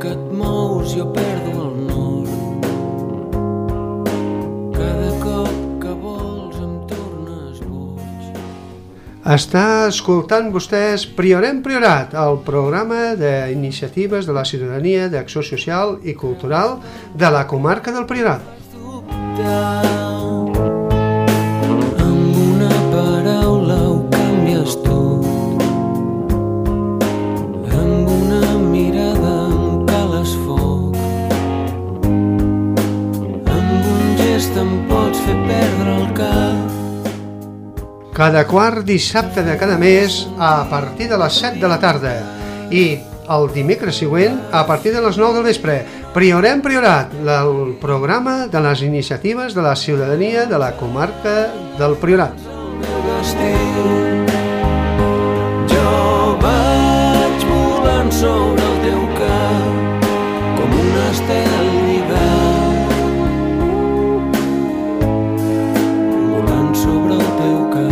que et mous jo perdo el nord. Cada cop que vols em tornes boig. Està escoltant vostès Priorem Priorat, el programa d'iniciatives de la ciutadania d'acció social i cultural de la comarca del Priorat. Amb una paraula ho canvies tot, amb una mirada em cales foc, amb un gest em pots fer perdre el cap. Cada quart dissabte de cada mes a partir de les 7 de la tarda i el dimecres següent a partir de les 9 del vespre. Priorem Priorat, el programa de les iniciatives de la ciutadania de la comarca del Priorat. Jo vaig volant sobre el teu cap com un estel d'hivern, volant sobre el teu cap.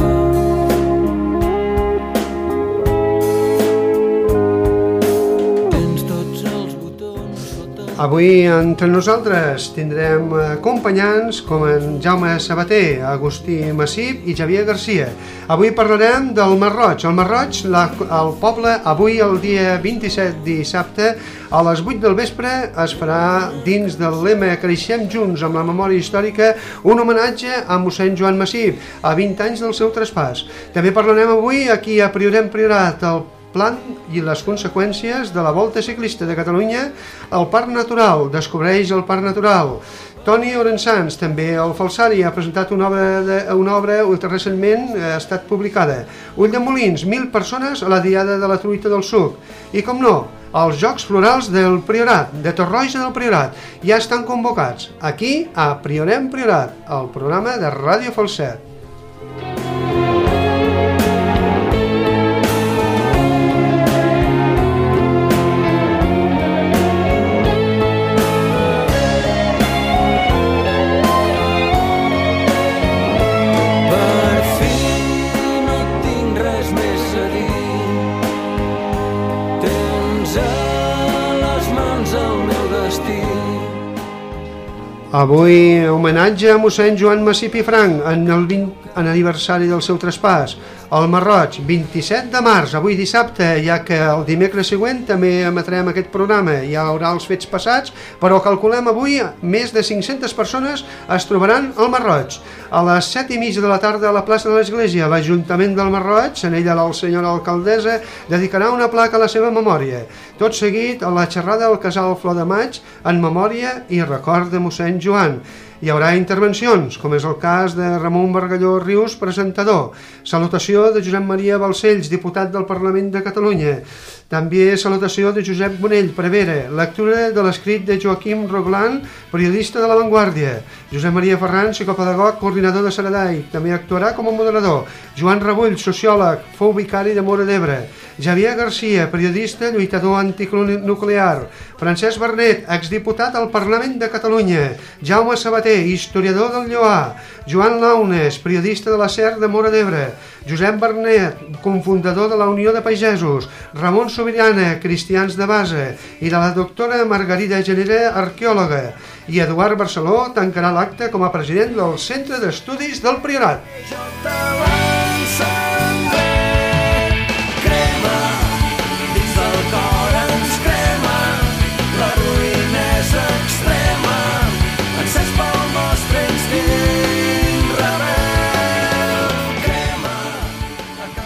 Tens tots els botons sota... Avui entre nosaltres tindrem acompanyants com en Jaume Sabater, Agustí Massip i Xavier Garcia. Avui parlarem del Masroig. El Masroig, el poble, avui el dia 27 dissabte, a les 8 del vespre es farà dins del lema Creixem Junts amb la memòria històrica un homenatge a mossèn Joan Massip, a 20 anys del seu traspàs. També parlarem avui aquí a Priorem Priorat, el plan i les conseqüències de la Volta Ciclista de Catalunya al Parc Natural. Descobreix el Parc Natural. Toni Orensans, també el Falsari, ha presentat una obra que recentment ha estat publicada. Ulldemolins, 1.000 persones a la Diada de la Truita del Suc. I, com no, els Jocs Florals del Priorat, de Torroja del Priorat, ja estan convocats aquí a Priorem Priorat, el programa de Ràdio Falset. Avui homenatge a mossèn Joan Massip i Franch en el 20 aniversari del seu traspàs. El Masroig, 27 de març, avui dissabte, ja que el dimecres següent també emetrem aquest programa. Hi haurà els fets passats, però calculem avui més de 500 persones es trobaran al Masroig. A les 7:30 de la tarda a la plaça de l'Església, l'Ajuntament del Masroig, en ella la senyora alcaldessa, dedicarà una placa a la seva memòria. Tot seguit a la xerrada al Casal Flor de Maig en memòria i record de mossèn Joan. Hi haurà intervencions, com és el cas de Ramon Bargalló Rius, presentador. Salutació de Josep Maria Balcells, diputat del Parlament de Catalunya. També salutació de Josep Bonell, prevere. Lectura de l'escrit de Joaquim Roglan, periodista de La Vanguardia. Josep Maria Ferran, psicopedagog, coordinador de Saradai. També actuarà com a moderador. Joan Rebull, sociòleg, fou vicari de Móra d'Ebre. Javier Garcia, periodista, lluitador antinuclear. Francesc Bernet, exdiputat al Parlament de Catalunya. Jaume Sabater, historiador del Lloar. Joan Launes, periodista de la SER de Móra d'Ebre. Josep Bernet, cofundador de la Unió de Pagesos. Ramon Sobirana, cristians de base. I de la doctora Margarida Genera, arqueòloga. I Eduard Barceló tancarà l'acte com a president del Centre d'Estudis del Priorat.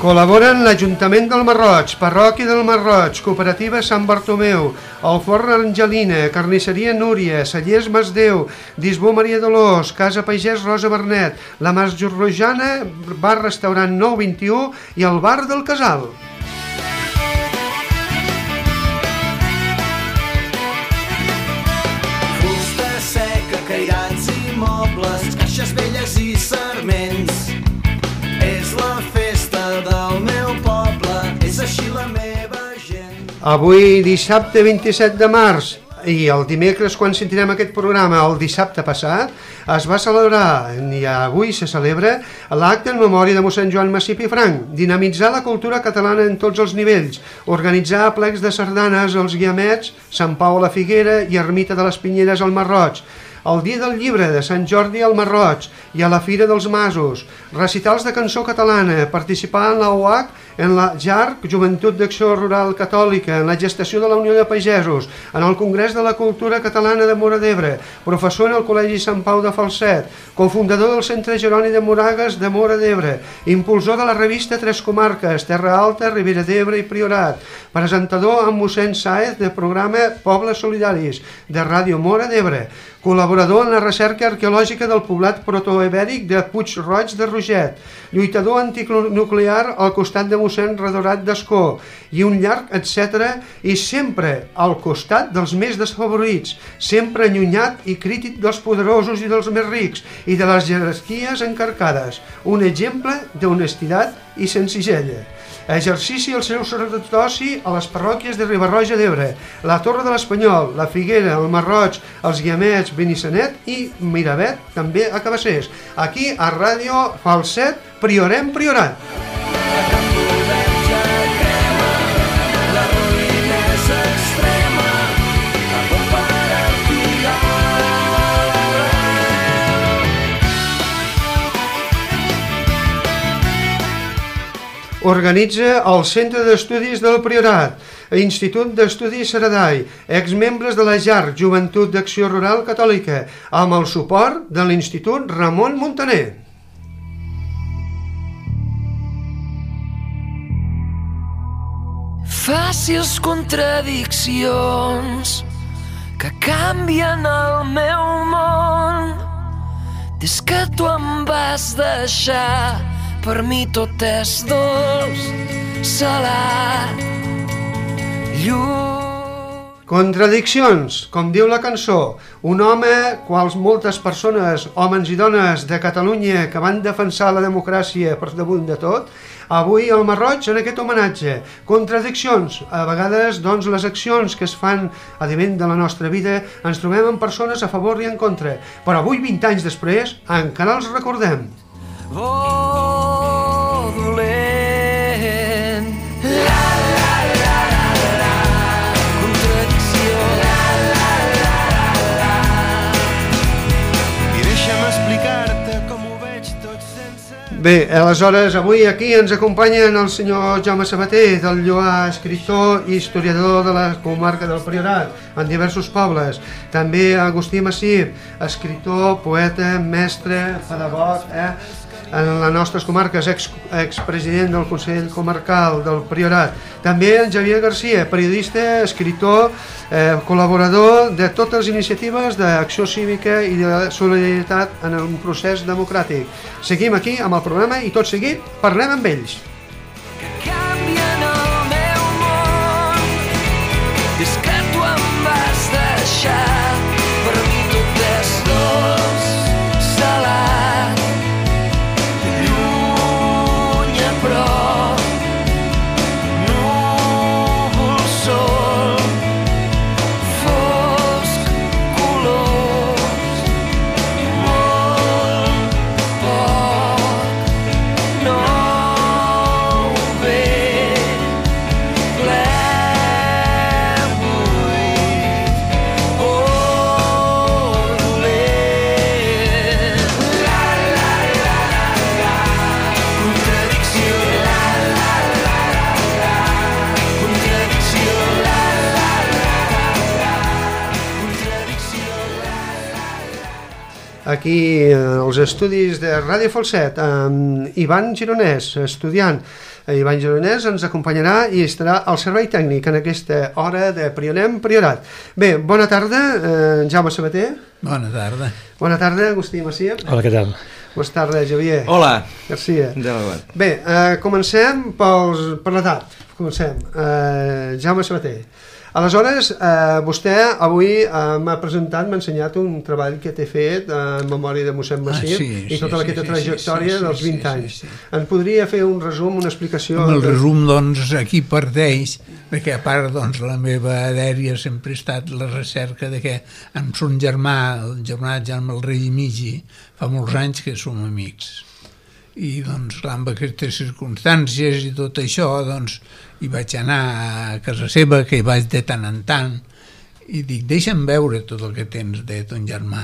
Col·laboren l'Ajuntament del Masroig, Parròquia del Masroig, Cooperativa Sant Bartomeu, el Forn Angelina, Carnisseria Núria, Cellers Masdeu, Disbó Maria Dolors, Casa Pagès Rosa Bernet, la Mas Rojana, Bar-Restaurant 921 i el Bar del Casal. Fusta seca, cairats i mobles, caixes velles i sarments. És la festa del meu poble, és així la meva gent. Avui, dissabte 27 de març, i el dimecres, quan sentirem aquest programa, el dissabte passat, es va celebrar, i avui se celebra, l'acte en memòria de mossèn Joan Macip i Franc, dinamitzar la cultura catalana en tots els nivells, organitzar plecs de sardanes als Guiamets, Sant Pau a la Figuera i Ermita de les Pinyeres al Masroig, el Dia del Llibre de Sant Jordi al Masroig i a la Fira dels Masos, recitals de cançó catalana, participar en la UAC, en la JARC, Joventut d'Acció Rural Catòlica, en la gestació de la Unió de Pagesos, en el Congrés de la Cultura Catalana de Móra d'Ebre, professor en el Col·legi Sant Pau de Falset, cofundador del Centre Jeroni de Moragues de Móra d'Ebre, impulsor de la revista Tres Comarques, Terra Alta, Ribera d'Ebre i Priorat, presentador amb mossèn Sáez de programa Pobles Solidaris, de Ràdio Móra d'Ebre, col·laborador en la recerca arqueològica del poblat protoibèric de Puig-roig de Roget, lluitador antinuclear al costat de mossèn Redorat d'Ascó, i un llarg etcètera, i sempre al costat dels més desfavorits, sempre allunyat i crític dels poderosos i dels més rics, i de les jerarquies encarcades, un exemple d'honestitat i senzillesa. Exercici el seu sacerdoci a les parròquies de Riba-roja d'Ebre, la Torre de l'Espanyol, la Figuera, el Masroig, els Guiamets, Benissanet i Miravet, també a Cabassers. Aquí, a Ràdio Falset, Priorem Priorat. Organitza el Centre d'Estudis del Priorat, Institut d'Estudis Saradai, exmembres de la JARC, Joventut d'Acció Rural Catòlica, amb el suport de l'Institut Ramon Muntaner. Fàcils contradiccions que canvien el meu món. Des que tu em vas deixar, per mi tot és dolç, salat, lluny. Contradiccions, com diu la cançó, un home, quals moltes persones, homes i dones de Catalunya que van defensar la democràcia per damunt de tot, avui al Masroig en aquest homenatge. Contradiccions, a vegades doncs les accions que es fan a nivell de la nostra vida ens trobem amb persones a favor i en contra, però avui 20 anys després encara els recordem. Oh, dolent. La, la, la, la, la. Contradicció. La, la, la, la, la. I deixa'm explicar-te com ho veig tot sense... Bé, aleshores, avui aquí ens acompanyen el senyor Jaume Sabater, del Lloar, escriptor i historiador de la comarca del Priorat, en diversos pobles. També Agustí Macip, escriptor, poeta, mestre, pedagog, en les nostres comarques, expresident del Consell Comarcal del Priorat. També en Javier García, periodista, escriptor, col·laborador de totes les iniciatives d'acció cívica i de solidaritat en un procés democràtic. Seguim aquí amb el programa i tot seguit parlem amb ells. Canvien el meu món. Des que tu em vas deixar, per mi tot és dolç, salat, lluny a prop, núvol, sol, fosc, colors, molt poc, no ve, ple, buit, oh, dolent. La, la, la, la, contradicció. La, la, la, la, contradicció. La, la, la, la, contradicció. Aquí als estudis de Ràdio Falset, amb Ivan Gironès, estudiant. Ivan Gironès ens acompanyarà i estarà al servei tècnic en aquesta hora de Prionem Priorat. Bé, bona tarda, Jaume Sabater. Bona tarda. Bona tarda, Agustí Macip. Hola, què tal? Bona tarda, Javier. Hola. Garcia. Endavant. Bé, comencem per l'edat. Comencem. Jaume Sabater. Aleshores, vostè avui m'ha presentat, m'ha ensenyat un treball que té fet en memòria de mossèn Massip i tota aquesta trajectòria dels 20 anys. En podria fer un resum, una explicació? El resum, doncs, aquí parteix que a part, doncs, la meva dèria sempre ha estat la recerca de que amb son germà, el germà Jaume el Rei i Migi, fa molts anys que som amics. I, doncs, clar, amb aquestes circumstàncies i tot això, doncs, hi vaig anar a casa seva, que hi vaig de tant en tant, i dic, deixa'm veure tot el que tens de ton germà.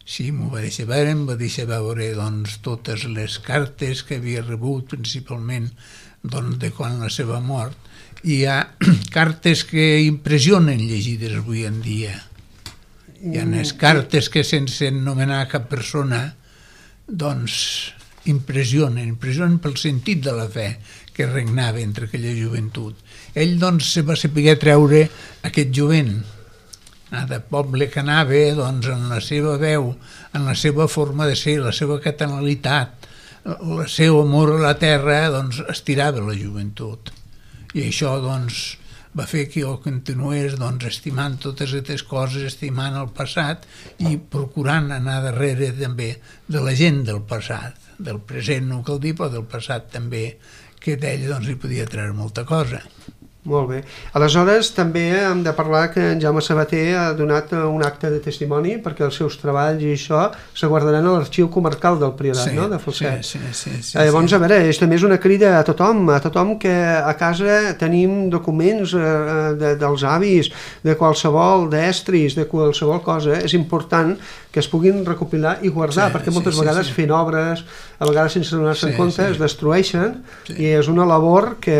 Sí, m'ho va deixar veure, em va deixar veure, doncs, totes les cartes que havia rebut, principalment, doncs, de quan la seva mort. I hi ha cartes que impressionen llegides avui en dia. Hi ha unes cartes que, sense anomenar cap persona, doncs, impressionen pel sentit de la fe que regnava entre aquella joventut. Ell, doncs, se va saber treure aquest jovent de poble que anava, doncs, en la seva veu, en la seva forma de ser, la seva catalanitat, el seu amor a la terra, doncs, estirava la joventut. I això, doncs, va fer que jo continués, doncs, estimant totes aquestes coses, estimant el passat i procurant anar darrere també de la gent del passat, del present no cal dir, però del passat també, que d'ell, doncs, hi podia treure molta cosa. Molt bé. Aleshores, també hem de parlar que en Jaume Sabater ha donat un acte de testimoni perquè els seus treballs i això se guardaran a l'arxiu comarcal del Priorat, no?, de Falset. Sí. Llavors, a veure, és també és una crida a tothom que a casa tenim documents dels avis, de qualsevol, d'estris, de qualsevol cosa. És important que es puguin recopilar i guardar, perquè moltes vegades fent obres, a vegades sense donar-se en compte, es destrueixen, i és una labor que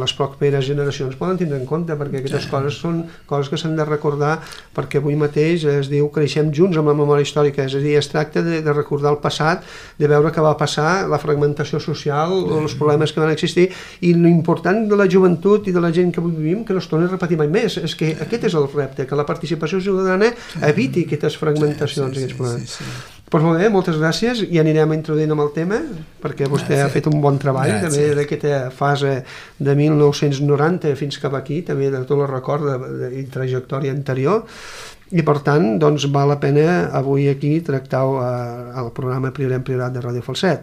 les properes generacions poden tindre en compte, perquè aquestes coses són coses que s'han de recordar, perquè avui mateix es diu creixem junts amb la memòria històrica, és a dir, es tracta de recordar el passat, de veure què va passar, la fragmentació social, els problemes que van existir, i l'important de la joventut i de la gent que avui vivim, que no es torni a repetir mai més. És que aquest és el repte, que la participació ciutadana eviti aquestes fragmentacions, aquests problemes. Doncs molt bé, moltes gràcies, i anirem introduint amb el tema, perquè vostè ha fet un bon treball, també d'aquesta fase de 1990 fins cap aquí, també de tot el record i trajectòria anterior, i per tant, doncs, val la pena avui aquí tractar-ho al programa Priorat de Ràdio Falset.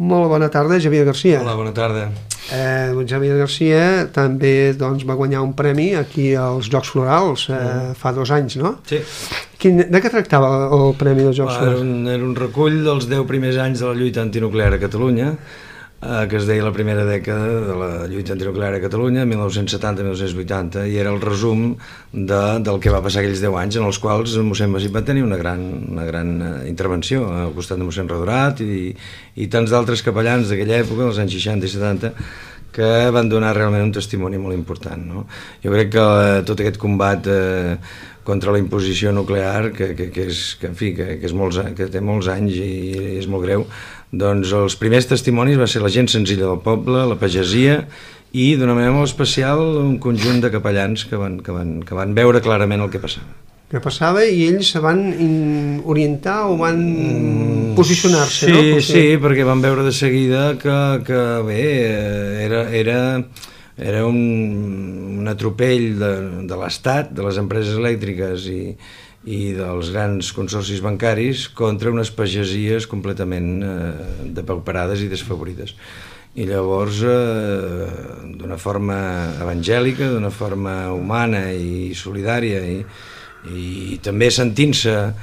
Molt bona tarda, Javier Garcia. Hola, bona tarda. Javier Garcia també, doncs, va guanyar un premi aquí als Jocs Florals fa 2 anys, no? Sí. De què tractava el premi dels Jocs Florals? Era un recull dels 10 primers anys de la lluita antinuclear a Catalunya, que es deia la primera dècada de la lluita antinuclear a Catalunya, 1970-1980, i era el resum del que va passar aquells 10 anys, en els quals mossèn Massip va tenir una gran intervenció al costat de mossèn Radurat i tants d'altres capellans d'aquella època, dels anys 60 i 70, que van donar realment un testimoni molt important, no? Jo crec que tot aquest combat contra la imposició nuclear, que té molts anys i és molt greu, doncs els primers testimonis va ser la gent senzilla del poble, la pagesia, i d'una manera molt especial un conjunt de capellans que van veure clarament el que passava. Que passava, i ells se van orientar o van posicionar-se, no? Sí, perquè van veure de seguida que bé, era un atropell de l'Estat, de les empreses elèctriques i dels grans consorcis bancaris contra unes pagesies completament depauperades i desfavorides. I llavors, d'una forma evangèlica, d'una forma humana i solidària, i també sentint-se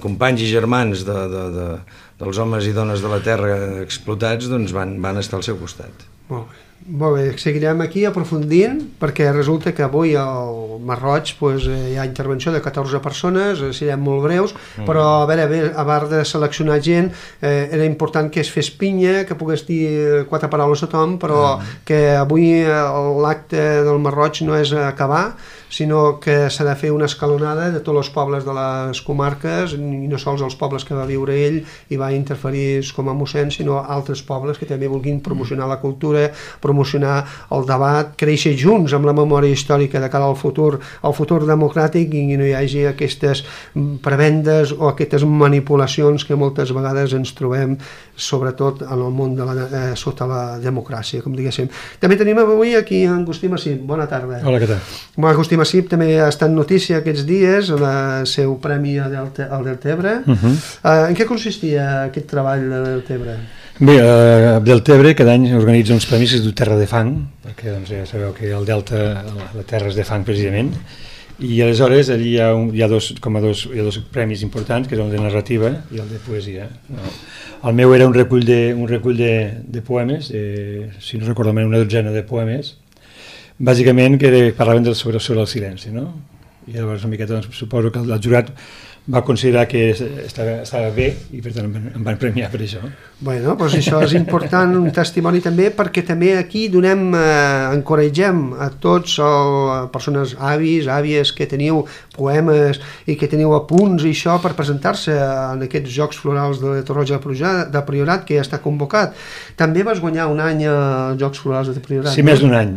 companys i germans dels homes i dones de la terra explotats, doncs van estar al seu costat. Molt bé, seguirem aquí aprofundint, perquè resulta que avui al Masroig hi ha intervenció de 14 persones, serem molt breus, però a part de seleccionar gent, era important que es fes pinya, que pogués dir 4 paraules a tothom, però que avui l'acte del Masroig no és acabar, sinó que s'ha de fer una escalonada de tots els pobles de les comarques, i no sols els pobles que va viure ell i va interferir com a mossèn, sinó altres pobles que també vulguin promocionar la cultura, promocionar el debat, créixer junts amb la memòria històrica de cara al futur democràtic, i no hi hagi aquestes prebendes o aquestes manipulacions que moltes vegades ens trobem, sobretot en el món sota la democràcia, com diguéssim. També tenim avui aquí en Agustí Massip. Bona tarda. Hola, què tal? Agustí Massip també ha estat notícia aquests dies, el seu premi al Deltebre. En què consistia aquest treball de Deltebre? Bé, Deltebre cada any organitza uns premis que es diu Terra de Fang, perquè doncs, ja sabeu que el Delta, la terra és de fang precisament, i aleshores allí hi ha dos premis importants, que és el de narrativa i el de poesia. El meu era un recull de poemes, si no recordo malament una dotzena de poemes, bàsicament que parlaven sobre el silenci, no? I llavors una miqueta suposo que el jurat va considerar que estava bé i per tant em van premiar per això. Bueno, doncs això és important, un testimoni també, perquè també aquí encoratgem a tots persones àvies que teniu poemes i que teniu apunts i això per presentar-se en aquests Jocs Florals de Torroja de Priorat que ja està convocat. També vas guanyar un any als Jocs Florals de Priorat. Sí, més d'un any.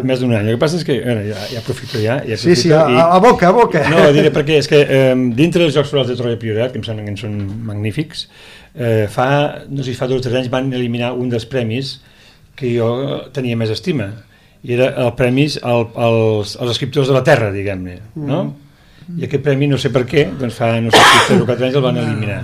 Més d'un any. El que passa és que ja aprofito ja. Sí, a boca. No, diré perquè és que dintre dels Jocs Florals de Torroja de Priorat, que em semblen que són magnífics, no sé si fa 2 o 3 anys van eliminar un dels premis que jo tenia més estima, i era el premi als escriptors de la terra, diguem-ne, no? I aquest premi, no sé per què, doncs fa, no sé si 3 o 4 anys el van eliminar.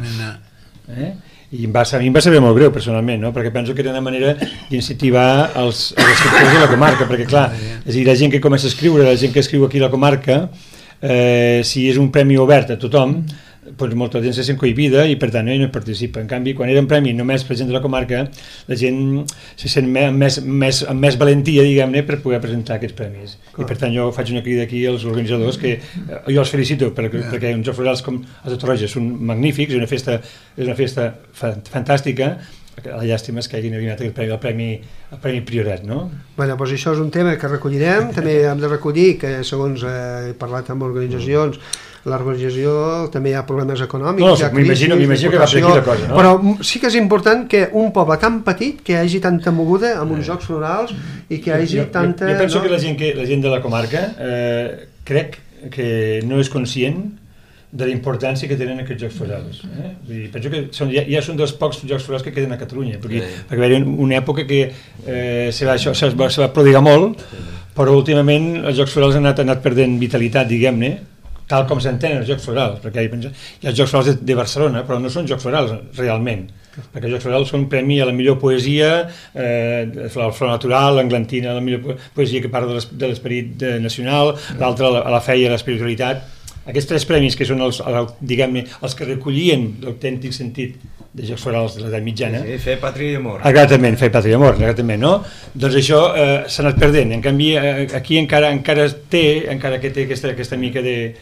I a mi em va saber molt greu personalment, no? Perquè penso que era una manera d'incentivar els escriptors de la comarca, perquè clar, és a dir, la gent que comença a escriure, la gent que escriu aquí a la comarca, si és un premi obert a tothom, doncs molta gent se sent cohibida i per tant no hi participa. En canvi, quan era un premi només per gent de la comarca, la gent se sent amb més valentia, diguem-ne, per poder presentar aquests premis. I per tant jo faig una crida aquí als organitzadors que jo els felicito perquè uns Jocs Florals com els de Torroja són magnífics, és una festa fantàstica. La llàstima és que hagin eliminat el premi Priorat, no? Bé, doncs això és un tema que recollirem. També hem de recollir que, segons he parlat amb organitzacions, l'organització també hi ha problemes econòmics. No, m'imagino que va per aquí la cosa, no? Però sí que és important que un poble tan petit que hi hagi tanta moguda amb uns Jocs Florals i que hi hagi tanta... Jo penso que la gent de la comarca crec que no és conscient de la importància que tenen aquests Jocs Florals. Penso que ja són dels pocs Jocs Florals que queden a Catalunya, perquè va haver una època que se va prodigar molt, però últimament els Jocs Florals han anat perdent vitalitat, diguem-ne, tal com s'entenen els Jocs Florals, perquè hi ha els Jocs Florals de Barcelona, però no són Jocs Florals realment, perquè els Jocs Florals són un premi a la millor poesia, el flor natural, l'englantina, la millor poesia que parla de l'esperit nacional, l'altra a la fe i a l'espiritualitat. Aquests 3 premis, que són diguem-ne, els que recollien l'autèntic sentit de Jocs Florals de l'edat mitjana. Sí, fer pàtria i amor. Exactament, fer pàtria i amor, exactament, no? Doncs això s'ha anat perdent. En canvi, aquí encara que té aquesta mica de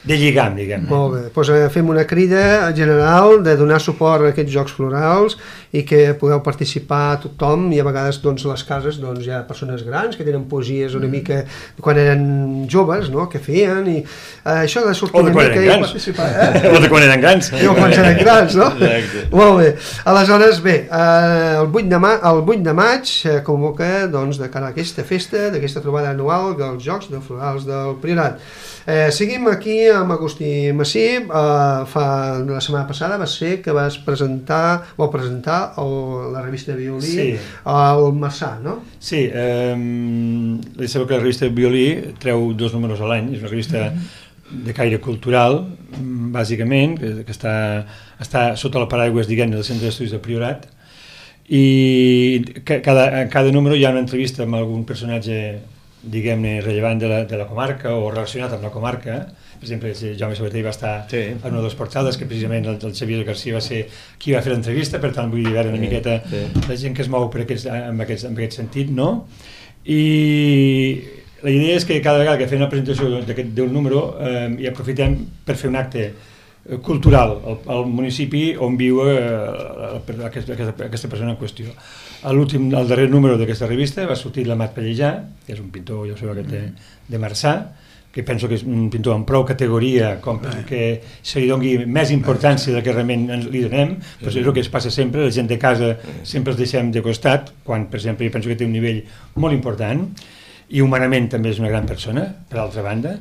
lligam, diguem. Molt bé, doncs fem una crida general de donar suport a aquests Jocs Florals i que podeu participar tothom, i a vegades doncs, les cases hi ha persones grans que tenen poesies una mica quan eren joves, no?, que feien, i això de sortir una mica i participar. O de quan eren grans. O quan eren grans, no? Molt bé. Aleshores, bé, el 8 de maig convoca de cara a aquesta festa, d'aquesta trobada anual dels Jocs Florals del Priorat. Seguim aquí amb Agustí Massip. La setmana passada va ser que vau presentar la revista de violí al Marçà, no? Sí, sabeu que la revista de violí treu 2 números a l'any, és una revista de caire cultural, bàsicament, que està sota la paraigües, diguem-ne, del Centre d'Estudis del Priorat, i en cada número hi ha una entrevista amb algun personatge, diguem-ne, rellevant de la comarca o relacionat amb la comarca. Per exemple, Jaume Sabater va estar en una de les portades, que precisament el Xavier García va ser qui va fer l'entrevista, per tant vull dir una miqueta la gent que es mou en aquest sentit, no? I la idea és que cada vegada que fem una presentació d'un número hi aprofitem per fer un acte cultural al municipi on viu aquesta persona en qüestió. El darrer número d'aquesta revista va sortir l'Amat Pallejà, que és un pintor, ja ho sabeu, de Marçà, que penso que és un pintor amb prou categoria com que se li doni més importància del que realment li donem, però és el que es passa sempre, la gent de casa sempre els deixem de costat, quan, per exemple, jo penso que té un nivell molt important, i humanament també és una gran persona, per altra banda.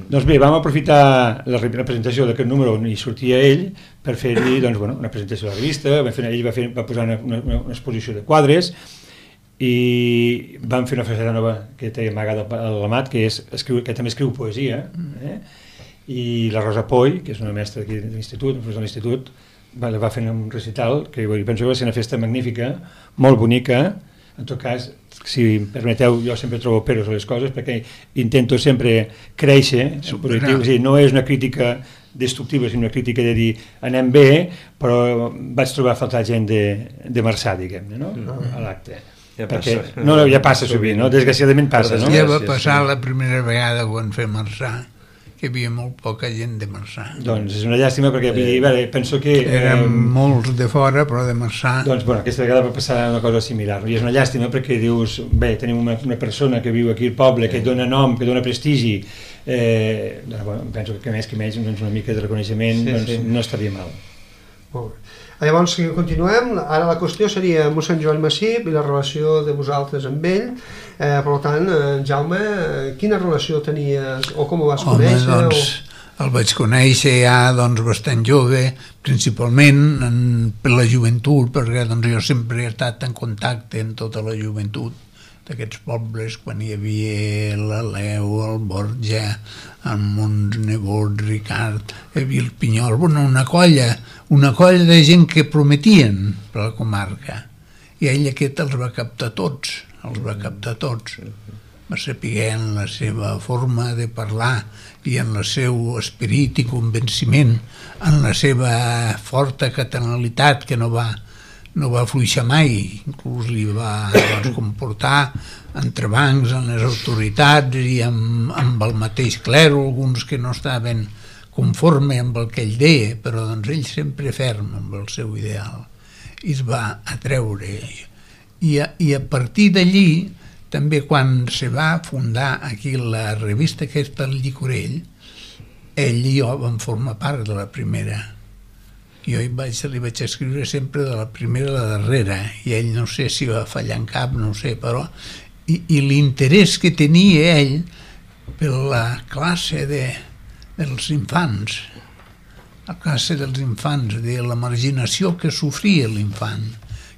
Doncs bé, vam aprofitar la presentació d'aquest número on hi sortia ell per fer-hi una presentació de la revista, ell va posar una exposició de quadres, i vam fer una faceta nova que té amagada a l'Amat, que també escriu poesia, i la Rosa Poy, que és una mestra aquí de l'institut, va fer un recital que penso que va ser una festa magnífica, molt bonica. En tot cas, si em permeteu, jo sempre trobo peros a les coses perquè intento sempre créixer, no és una crítica destructiva, sinó una crítica de dir anem bé, però vaig trobar a faltar gent de Marçà, diguem-ne, a l'acte. Ja passa sovint, desgraciadament passa. Ja va passar la primera vegada quan fem Marçà, que hi havia molt poca gent de Marçà. Doncs és una llàstima perquè penso que... Eren molts de fora, però de Marçà. Doncs aquesta vegada va passar una cosa similar, i és una llàstima perquè dius, bé, tenim una persona que viu aquí al poble, que dona nom, que dona prestigi, penso que més una mica de reconeixement no estaria mal. Molt bé. Llavors, si continuem, ara la qüestió seria mossèn Joan Massip i la relació de vosaltres amb ell. Per tant, Jaume, quina relació tenies o com ho vas conèixer? Home, doncs el vaig conèixer ja bastant jove, principalment per la joventut, perquè jo sempre he estat en contacte amb tota la joventut d'aquests pobles, quan hi havia l'Aleu, el Borja, el Montsnebot, Ricard, hi havia el Pinyol, una colla de gent que prometien per la comarca, i ell aquest els va captar tots, va saber en la seva forma de parlar i en el seu esperit i convenciment, en la seva forta catalanitat que no va fluixar mai, inclús li va comportar entrebancs en les autoritats i amb el mateix clero, alguns que no estaven conforme amb el que ell deia, però ell sempre ferm amb el seu ideal, i es va atreure. I a partir d'allí, també quan se va fundar aquí la revista aquesta, el Llicorell, ell i jo vam formar part de la primera. Jo li vaig escriure sempre de la primera a la darrera, i ell no sé si va fallar en cap, no sé, però... I l'interès que tenia ell per la classe dels infants, de la marginació que sofria l'infant,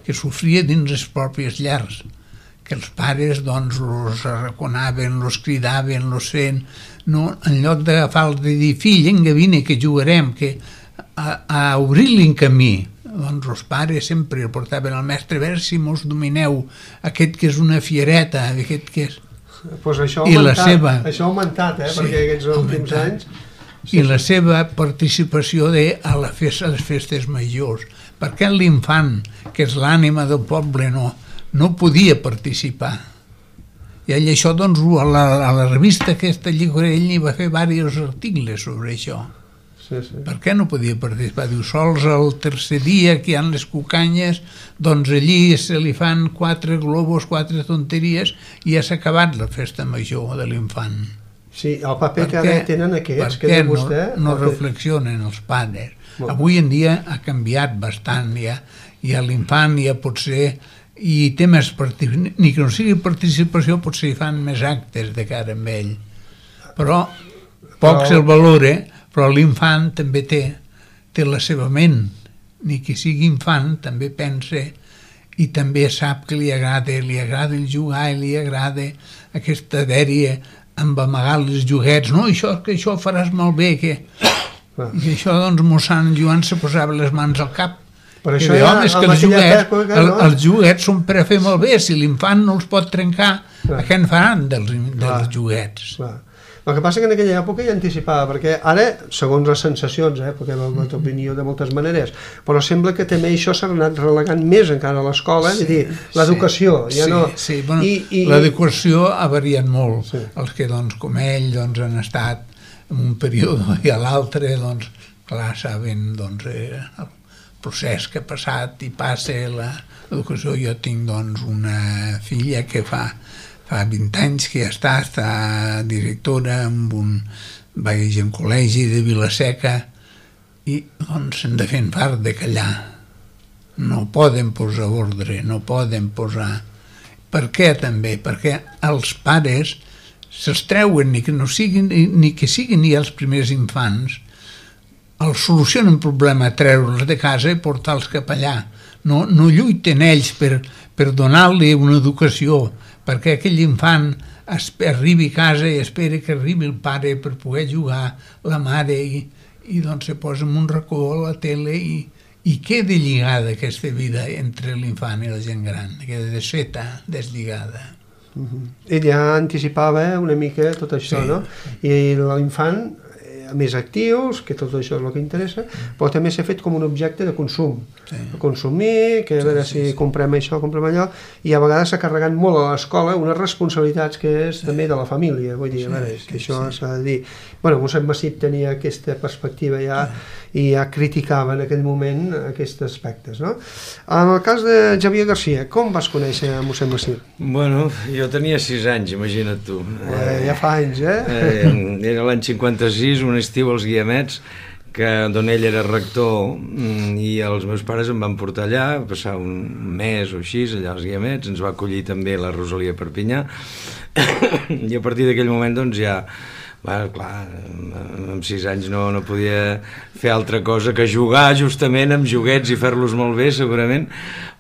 que sofria dins les pròpies llars, que els pares els arraconaven, els cridaven, els feien... En lloc d'agafar-los de dir, fill, vinga, vine, que jugarem, que... a obrir-li un camí, els pares sempre el portaven al mestre, a veure si mos domineu aquest que és una fiereta, aquest que és... Pues això ha augmentat, perquè aquests últims anys... I la seva participació a les festes majors, perquè l'infant, que és l'ànima del poble, no podia participar. I ell això, a la revista aquesta Llicorell hi va fer diversos articles sobre això. Per què no podia participar? Diu, sols el tercer dia que hi ha les cucanyes, allí se li fan 4 globus, 4 tonteries, i ja s'ha acabat la festa major de l'infant. Sí, el paper que ara tenen aquests, que té vostè... No reflexionen els pares. Avui en dia ha canviat bastant, ja l'infant ja pot ser... I té més participació, ni que no sigui participació, potser hi fan més actes de cara amb ell. Però poc se'l valora, però l'infant també té la seva ment, ni que sigui infant també pensa i també sap que li agrada el jugar i li agrada aquesta dèria amb amagar els joguets, no, que això faràs molt bé, i això mossèn Joan se posava les mans al cap. Per això els joguets són per a fer molt bé, si l'infant no els pot trencar, què en faran dels joguets? El que passa que en aquella època ja anticipava, perquè ara, segons les sensacions, perquè hem hagut opinió de moltes maneres, però sembla que també això s'ha anat relegant més encara a l'escola, és a dir, l'educació. L'educació ha variat molt. Els que, com ell, han estat en un període i a l'altre, clar, saben el procés que ha passat i passa l'educació. Jo tinc una filla que fa fa 20 anys que ja està directora en vaig en col·legi de Vila-seca i doncs se'n de fent part de callar. No poden posar ordre, no poden posar... Per què també? Perquè els pares se'ls treuen, ni que siguin ni els primers infants, els solucionen un problema treure'ls de casa i portar-los cap allà. No lluiten ells per donar-li una educació, perquè aquell infant arribi a casa i espera que arribi el pare per poder jugar, la mare, i doncs se posa en un racó a la tele i queda lligada aquesta vida entre l'infant i la gent gran, queda deslligada. Ell ja anticipava una mica tot això, no? I l'infant, més actius, que tot això és el que interessa, però també s'ha fet com un objecte de consum, de consumir, que a veure si comprem això, comprem allò, i a vegades s'ha carregat molt a l'escola unes responsabilitats que és també de la família, vull dir, a veure, que això s'ha de dir. Bueno, mossèn Macip tenia aquesta perspectiva ja i ja criticava en aquell moment aquests aspectes, no? En el cas de Xavier Garcia, com vas conèixer a mossèn Macip? Bueno, jo tenia 6 anys, imagina't tu. Ja fa anys, Era l'any 56, un estiu als Guiamets, d'on ell era rector, i els meus pares em van portar allà, a passar un mes o així, allà als Guiamets, ens va acollir també la Rosalia Perpinyà, i a partir d'aquell moment doncs ja... Bueno, clar, amb 6 anys no podia fer altra cosa que jugar justament amb joguets i fer-los molt bé, segurament,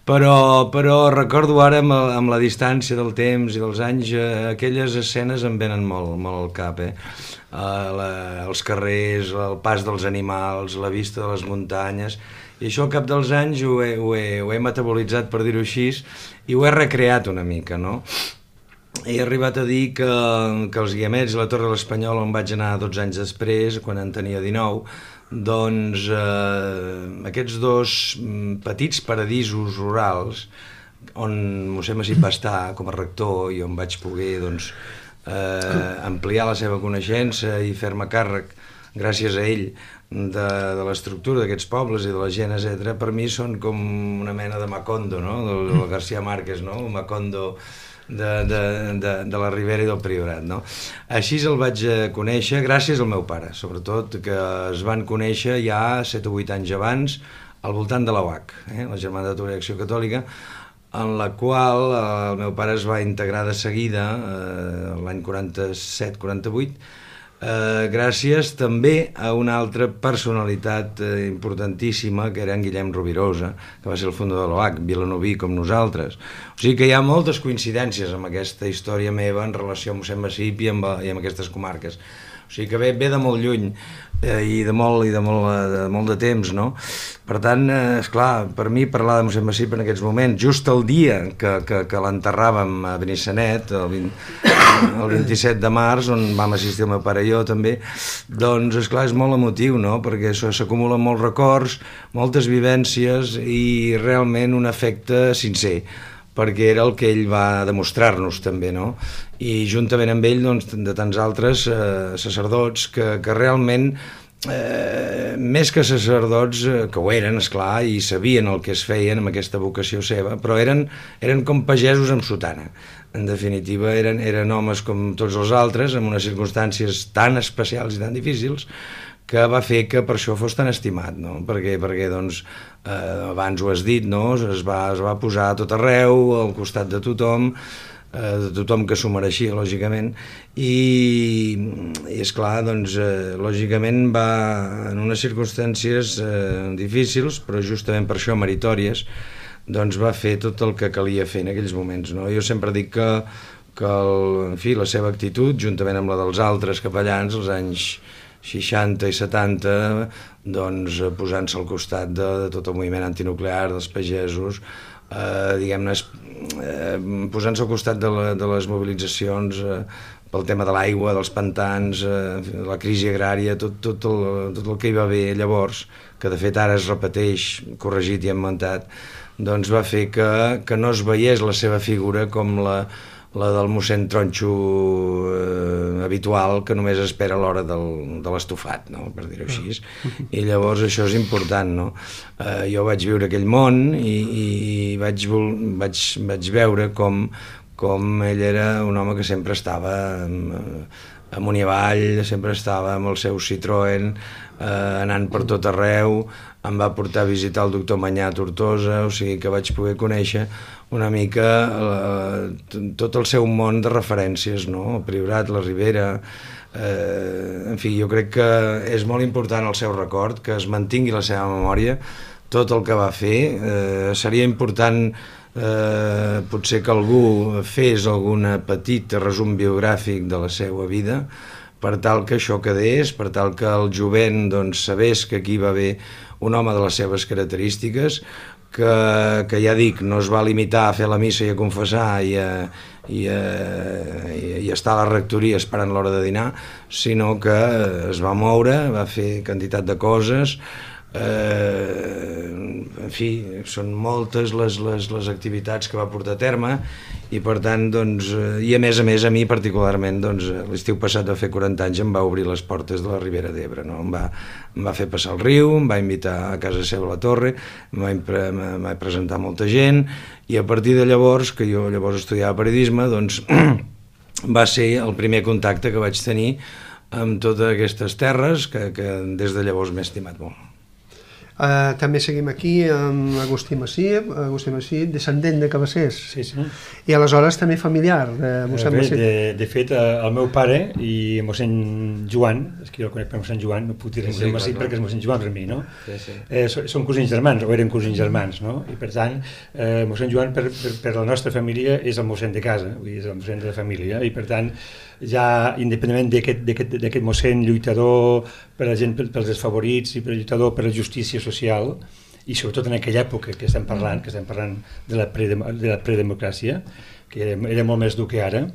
però recordo ara amb la distància del temps i dels anys, aquelles escenes em venen molt al cap, els carrers, el pas dels animals, la vista de les muntanyes, i això al cap dels anys ho he metabolitzat, per dir-ho així, i ho he recreat una mica, no? He arribat a dir que els Guiamets i la Torre de l'Espanyol, on vaig anar 12 anys després, quan en tenia 19, doncs aquests dos petits paradisos rurals, on mossèn Macip va estar com a rector i on vaig poder ampliar la seva coneixença i fer-me càrrec, gràcies a ell, de l'estructura d'aquests pobles i de la gent, etc., per mi són com una mena de Macondo, no? Del García Márquez, no? Un Macondo de la Ribera i del Priorat, no? Així el vaig conèixer gràcies al meu pare, sobretot, que es van conèixer ja 7 o 8 anys abans al voltant de la UAC, la Germandat d'Obrer d'Acció Catòlica, en la qual el meu pare es va integrar de seguida l'any 47-48, gràcies també a una altra personalitat importantíssima, que era en Guillem Rovirosa, que va ser el fundador de l'OAC, vilanoví com nosaltres. O sigui que hi ha moltes coincidències amb aquesta història meva en relació amb mossèn Macip i amb aquestes comarques. O sigui que ve de molt lluny i de molt de temps, no? Per tant, esclar, per mi parlar de mossèn Macip en aquests moments, just el dia que l'enterràvem a Benissanet, el 27 de març, on vam assistir el meu pare i jo també, doncs, esclar, és molt emotiu, no? Perquè s'acumulen molts records, moltes vivències i realment un afecte sincer, perquè era el que ell va demostrar-nos també, no? I juntament amb ell, doncs, de tants altres sacerdots que realment, més que sacerdots, que ho eren, esclar, i sabien el que es feien amb aquesta vocació seva, però eren com pagesos amb sotana. En definitiva, eren homes com tots els altres, en unes circumstàncies tan especials i tan difícils, que va fer que per això fos tan estimat, no? Perquè doncs, abans ho has dit, no? Es va posar a tot arreu, al costat de tothom que s'ho mereixia, lògicament, i esclar, doncs, lògicament va en unes circumstàncies difícils, però justament per això meritòries, doncs va fer tot el que calia fer en aquells moments, no? Jo sempre dic que en fi, la seva actitud, juntament amb la dels altres capellans, als anys 60 i 70, doncs posant-se al costat de tot el moviment antinuclear, dels pagesos, diguem-ne, posant-se al costat de les mobilitzacions pel tema de l'aigua, dels pantans, la crisi agrària, tot el que hi va haver llavors, que de fet ara es repeteix, corregit i emmentat, doncs va fer que no es veiés la seva figura com la del mossèn Tronxo habitual, que només espera l'hora de l'estofat, no? Per dir-ho així. I llavors això és important, no? Jo vaig viure aquell món i vaig veure com com ell era un home que sempre estava amunt i avall, sempre estava amb el seu Citroën, anant per tot arreu, em va portar a visitar el doctor Manyà a Tortosa, o sigui que vaig poder conèixer una mica tot el seu món de referències, no? El Priorat, la Ribera, en fi, jo crec que és molt important el seu record, que es mantingui la seva memòria, tot el que va fer. Seria important potser que algú fes algun petit resum biogràfic de la seva vida, per tal que això quedés, per tal que el jovent doncs, sabés que aquí va haver un home de les seves característiques, que ja dic, no es va limitar a fer la missa i a confessar i estar a la rectoria esperant l'hora de dinar, sinó que es va moure, va fer quantitat de coses. En fi, són moltes les activitats que va portar a terme i per tant, doncs, i a més a mi particularment, doncs, l'estiu passat va fer 40 anys, em va obrir les portes de la Ribera d'Ebre, no? Em va fer passar el riu, em va invitar a casa seva a la Torre, em va presentar molta gent i a partir de llavors, que jo llavors estudiava periodisme, doncs va ser el primer contacte que vaig tenir amb totes aquestes terres que des de llavors m'he estimat molt. També seguim aquí amb Agustí Massip, descendent de Cabassers. Sí. I aleshores també familiar de mossèn Massip. De fet, el meu pare i mossèn Joan, és que jo el conec per mossèn Joan, no puc dir mossèn Massip perquè és mossèn Joan Remí, no? Sí. Són cosins germans, o eren cosins germans, no? I per tant, mossèn Joan per la nostra família és el mossèn de casa, vull dir, és el mossèn de la família, i per tant, ja independentment d'aquest mossèn lluitador per la gent, pels desfavorits i per lluitador per la justícia social, i sobretot en aquella època que estem parlant de la predemocràcia, que era molt més dur que ara,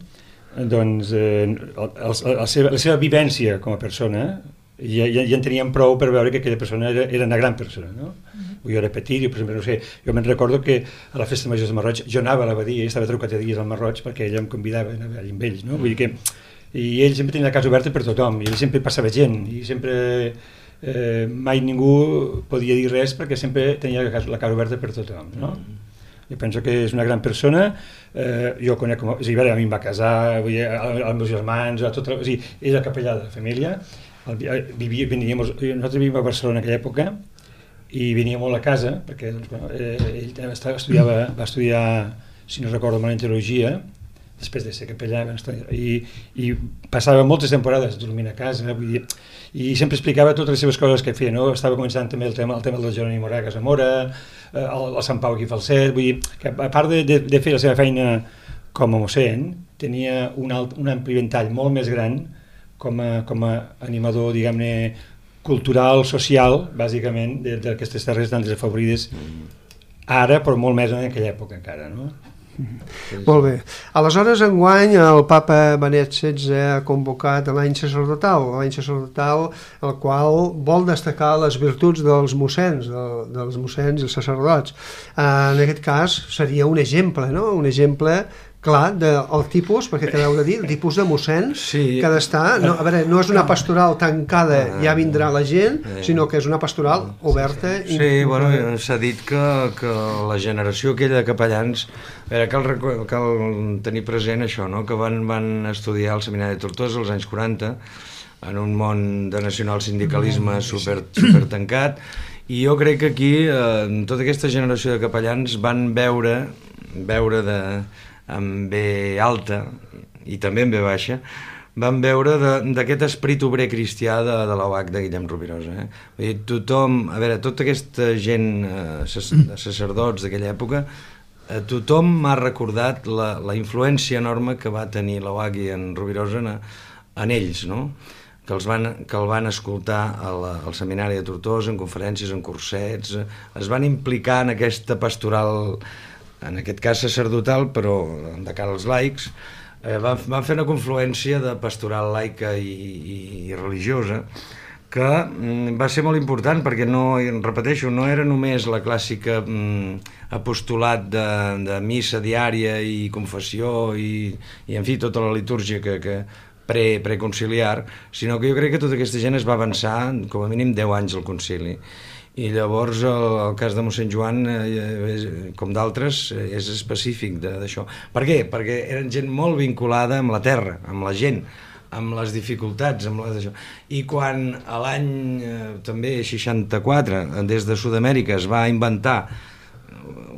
doncs la seva vivència com a persona ja en teníem prou per veure que aquella persona era una gran persona, no? Jo era petit, per exemple, no sé, jo me'n recordo que a la festa major de Marroig jo anava a l'abadia i estava trucat a dies al Marroig perquè ella em convidava a anar allà amb ells, no? Vull dir que i ell sempre tenia la casa oberta per tothom i ell sempre passava gent i sempre mai ningú podia dir res perquè sempre tenia la casa oberta per tothom, no? Jo penso que és una gran persona, jo conec com... O sigui, a mi em va casar, els meus germans, o sigui, és el capellà de la família, nosaltres vivíem a Barcelona en aquella època i venia molt a casa, perquè doncs, bueno, ell va estudiar, si no recordo malament, teologia, després de ser capellà, i passava moltes temporades dormint a casa, vull dir, i sempre explicava totes les seves coses que feia, no? Estava començant també el tema del Jeroni Moragas a Mora, el Sant Pau aquí a Falset, vull dir, que a part de fer la seva feina com a mossèn, tenia un ampli ventall molt més gran com a animador, diguem-ne, cultural, social, bàsicament, d'aquestes terres tan desafavorides ara, però molt més en aquella època encara, no? Molt bé. Aleshores, enguany, el papa Benet XVI ha convocat l'any sacerdotal, el qual vol destacar les virtuts dels mossens, dels mossens i els sacerdots. En aquest cas, seria un exemple, no? Un exemple clar del tipus, perquè t'heu de dir, el tipus de mossens que ha d'estar, no, a veure, no és una pastoral tancada, ja vindrà la gent, sinó que és una pastoral oberta. Sí, bueno, s'ha dit que la generació aquella de capellans, a veure, cal tenir present això, no? Que van estudiar al Seminari de Tortosa als anys 40, en un món de nacionalsindicalisme super tancat, i jo crec que aquí, tota aquesta generació de capellans van veure amb B alta i també amb B baixa, van veure d'aquest esperit obrer cristià de l'OH de Guillem Rovirosa. Vull dir, tothom, a veure, tota aquesta gent de sacerdots d'aquella època, tothom m'ha recordat la influència enorme que va tenir l'OH i en Rovirosa en ells, no? Que el van escoltar al seminari de Tortosa, en conferències, en cursets, es van implicar en aquesta pastoral, en aquest cas sacerdotal, però de cara als laics, van fer una confluència de pastoral laica i religiosa que va ser molt important perquè, repeteixo, no era només la clàssica apostolat de missa diària i confessió i en fi, tota la litúrgia que preconciliar, sinó que jo crec que tota aquesta gent es va avançar com a mínim 10 anys al concili. I llavors el cas de mossèn Joan, com d'altres, és específic d'això. Per què? Perquè eren gent molt vinculada amb la terra, amb la gent, amb les dificultats, amb d'això. I quan a l'any també 64, des de Sud-amèrica, es va inventar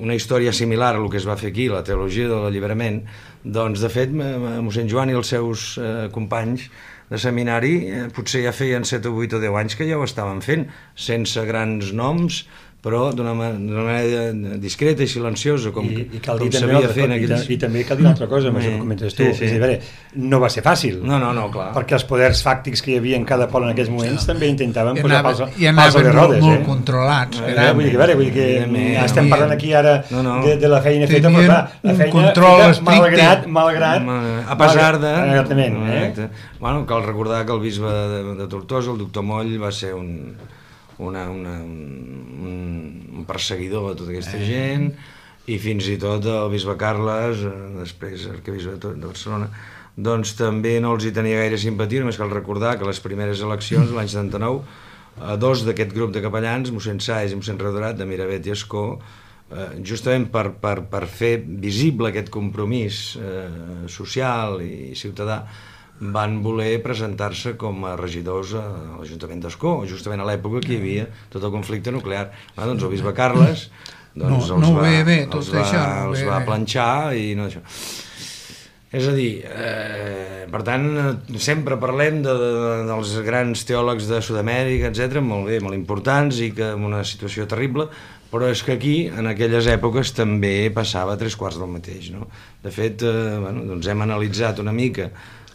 una història similar a el que es va fer aquí, la teologia de l'alliberament, doncs de fet mossèn Joan i els seus companys de seminari potser ja feien 7 o 8 o 10 anys que ja ho estaven fent, sense grans noms, però d'una manera discreta i silenciosa, com s'havia fet. I també cal dir una altra cosa, amb això que comentes tu. És a dir, no va ser fàcil. No, clar. Perquè els poders fàctics que hi havia en cada poble en aquells moments també intentaven posar pals a les rodes. I anaven molt controlats. Vull dir que estem parlant aquí ara de la feina feta, però clar, la feina malgrat... A pesar de... Exactament. Bueno, cal recordar que el bisbe de Tortosa, el doctor Moll, va ser un perseguidor de tota aquesta gent, i fins i tot el bisbe Carles, després arquebisbe de Barcelona, doncs també no els hi tenia gaire simpatia. Només cal recordar que les primeres eleccions, l'any 79, dos d'aquest grup de capellans, mossèn Sáez i mossèn Redorat, de Miravet i Escó, justament per fer visible aquest compromís social i ciutadà, van voler presentar-se com a regidors a l'Ajuntament d'Escó, justament a l'època que hi havia tot el conflicte nuclear. Doncs el bisbe Carles els va planxar i no això. És a dir, per tant, sempre parlem dels grans teòlegs de Sud-amèrica, etc., molt bé, molt importants i que en una situació terrible, però és que aquí, en aquelles èpoques, també passava 3/4 del mateix, no? De fet, doncs hem analitzat una mica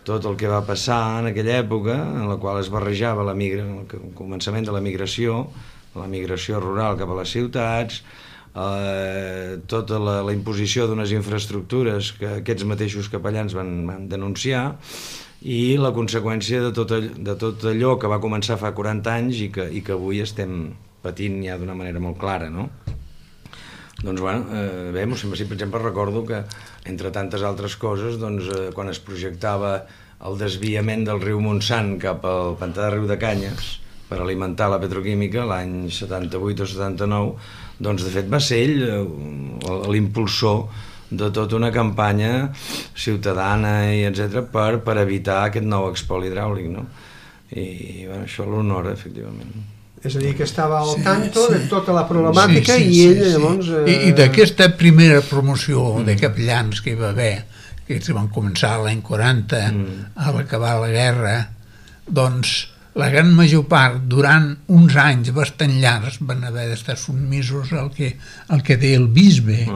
tot el que va passar en aquella època, en la qual es barrejava el començament de la migració rural cap a les ciutats, tota la imposició d'unes infraestructures que aquests mateixos capellans van denunciar, i la conseqüència de tot allò que va començar fa 40 anys i que avui estem patint ja d'una manera molt clara, no? Doncs bé, per exemple, recordo que entre tantes altres coses, quan es projectava el desviament del riu Montsant cap al pantà de Riu de Canyes per alimentar la petroquímica l'any 78 o 79, doncs de fet va ser ell l'impulsor de tota una campanya ciutadana i etc. per evitar aquest nou espoli hidràulic, no? I això l'honora, efectivament. És a dir, que estava al tanto de tota la problemàtica i ell llavors... I d'aquesta primera promoció de capellans que hi va haver, que van començar l'any 40 a l'acabar la guerra, doncs la gran major part, durant uns anys bastant llargs, van haver d'estar submisos al que deia el bisbe.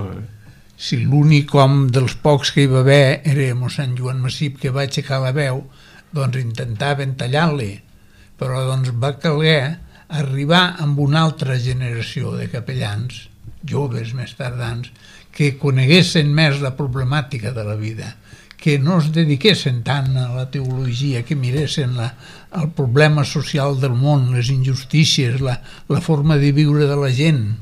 Si l'únic home dels pocs que hi va haver era mossèn Joan Massip, que va aixecar la veu, doncs intentaven tallar-li, però doncs va caler arribar amb una altra generació de capellans, joves més tardans, que coneguessin més la problemàtica de la vida, que no es dediquessin tant a la teologia, que miressin el problema social del món, les injustícies, la forma de viure de la gent.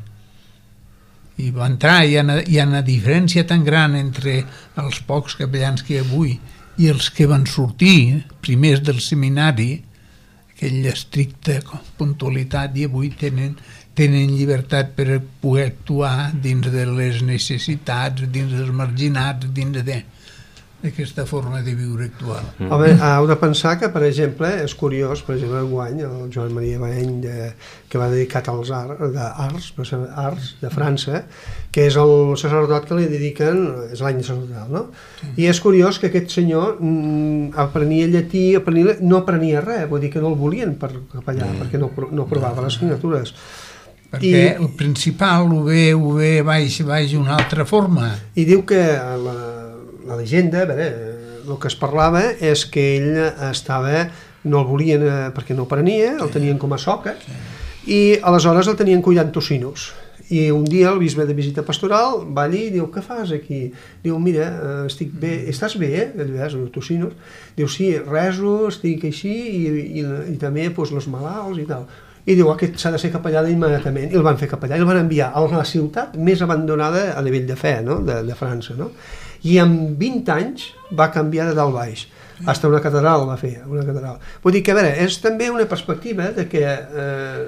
I va entrar, hi ha una diferència tan gran entre els pocs capellans que hi ha avui i els que van sortir primers del seminari, aquella estricta puntualitat, i avui tenen llibertat per poder actuar dins de les necessitats, dins dels marginats, dins d'aquesta forma de viure actual. Home, heu de pensar que, per exemple, és curiós, per exemple, enguany, el Joan Maria Baeny, que va dedicat als arts de França, que és el sacerdot que li dediquen, és l'any sacerdotal, no? I és curiós que aquest senyor aprenia llatí, no aprenia res, vull dir que no el volien per capellà, perquè no provava les signatures. Perquè el principal ho ve baix una altra forma. I diu que la llegenda, el que es parlava és que ell no el volien perquè no aprenia, el tenien com a soca, i aleshores el tenien cuidant tocinos. I un dia el bisbe de visita pastoral va allí i diu: què fas aquí? Diu: mira, estic bé. Estàs bé, els tocinos? Diu: sí, rezo, estic així, i també els malalts i tal. I diu: aquest s'ha de ser capellà immediatament. I el van fer capellà i el van enviar a la ciutat més abandonada a nivell de fe, no? de França, no? I en 20 anys va canviar de dalt baix. Hasta una catedral va fer, una catedral. Vull dir que, a veure, és també una perspectiva de que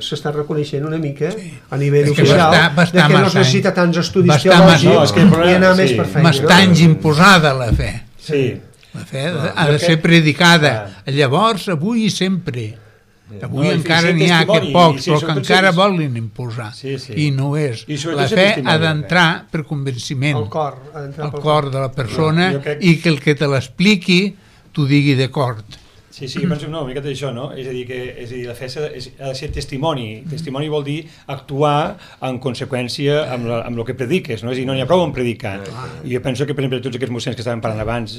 s'està reconeixent una mica a nivell oficial de que no es necessita tants estudis teològics i anar més per feina. M'està imposada la fe. Sí. La fe ha de ser predicada. Llavors, avui i sempre. Avui encara n'hi ha que pocs, però que encara volen imposar. I no és. La fe ha d'entrar per convenciment al cor de la persona i que el que te l'expliqui t'ho digui d'acord. Sí, jo penso una mica d'això, no? És a dir, la fe ha de ser testimoni. Testimoni vol dir actuar en conseqüència amb el que prediques, no? És a dir, no n'hi ha prou en predicar. I jo penso que, per exemple, tots aquests mossens que estaven parlant abans,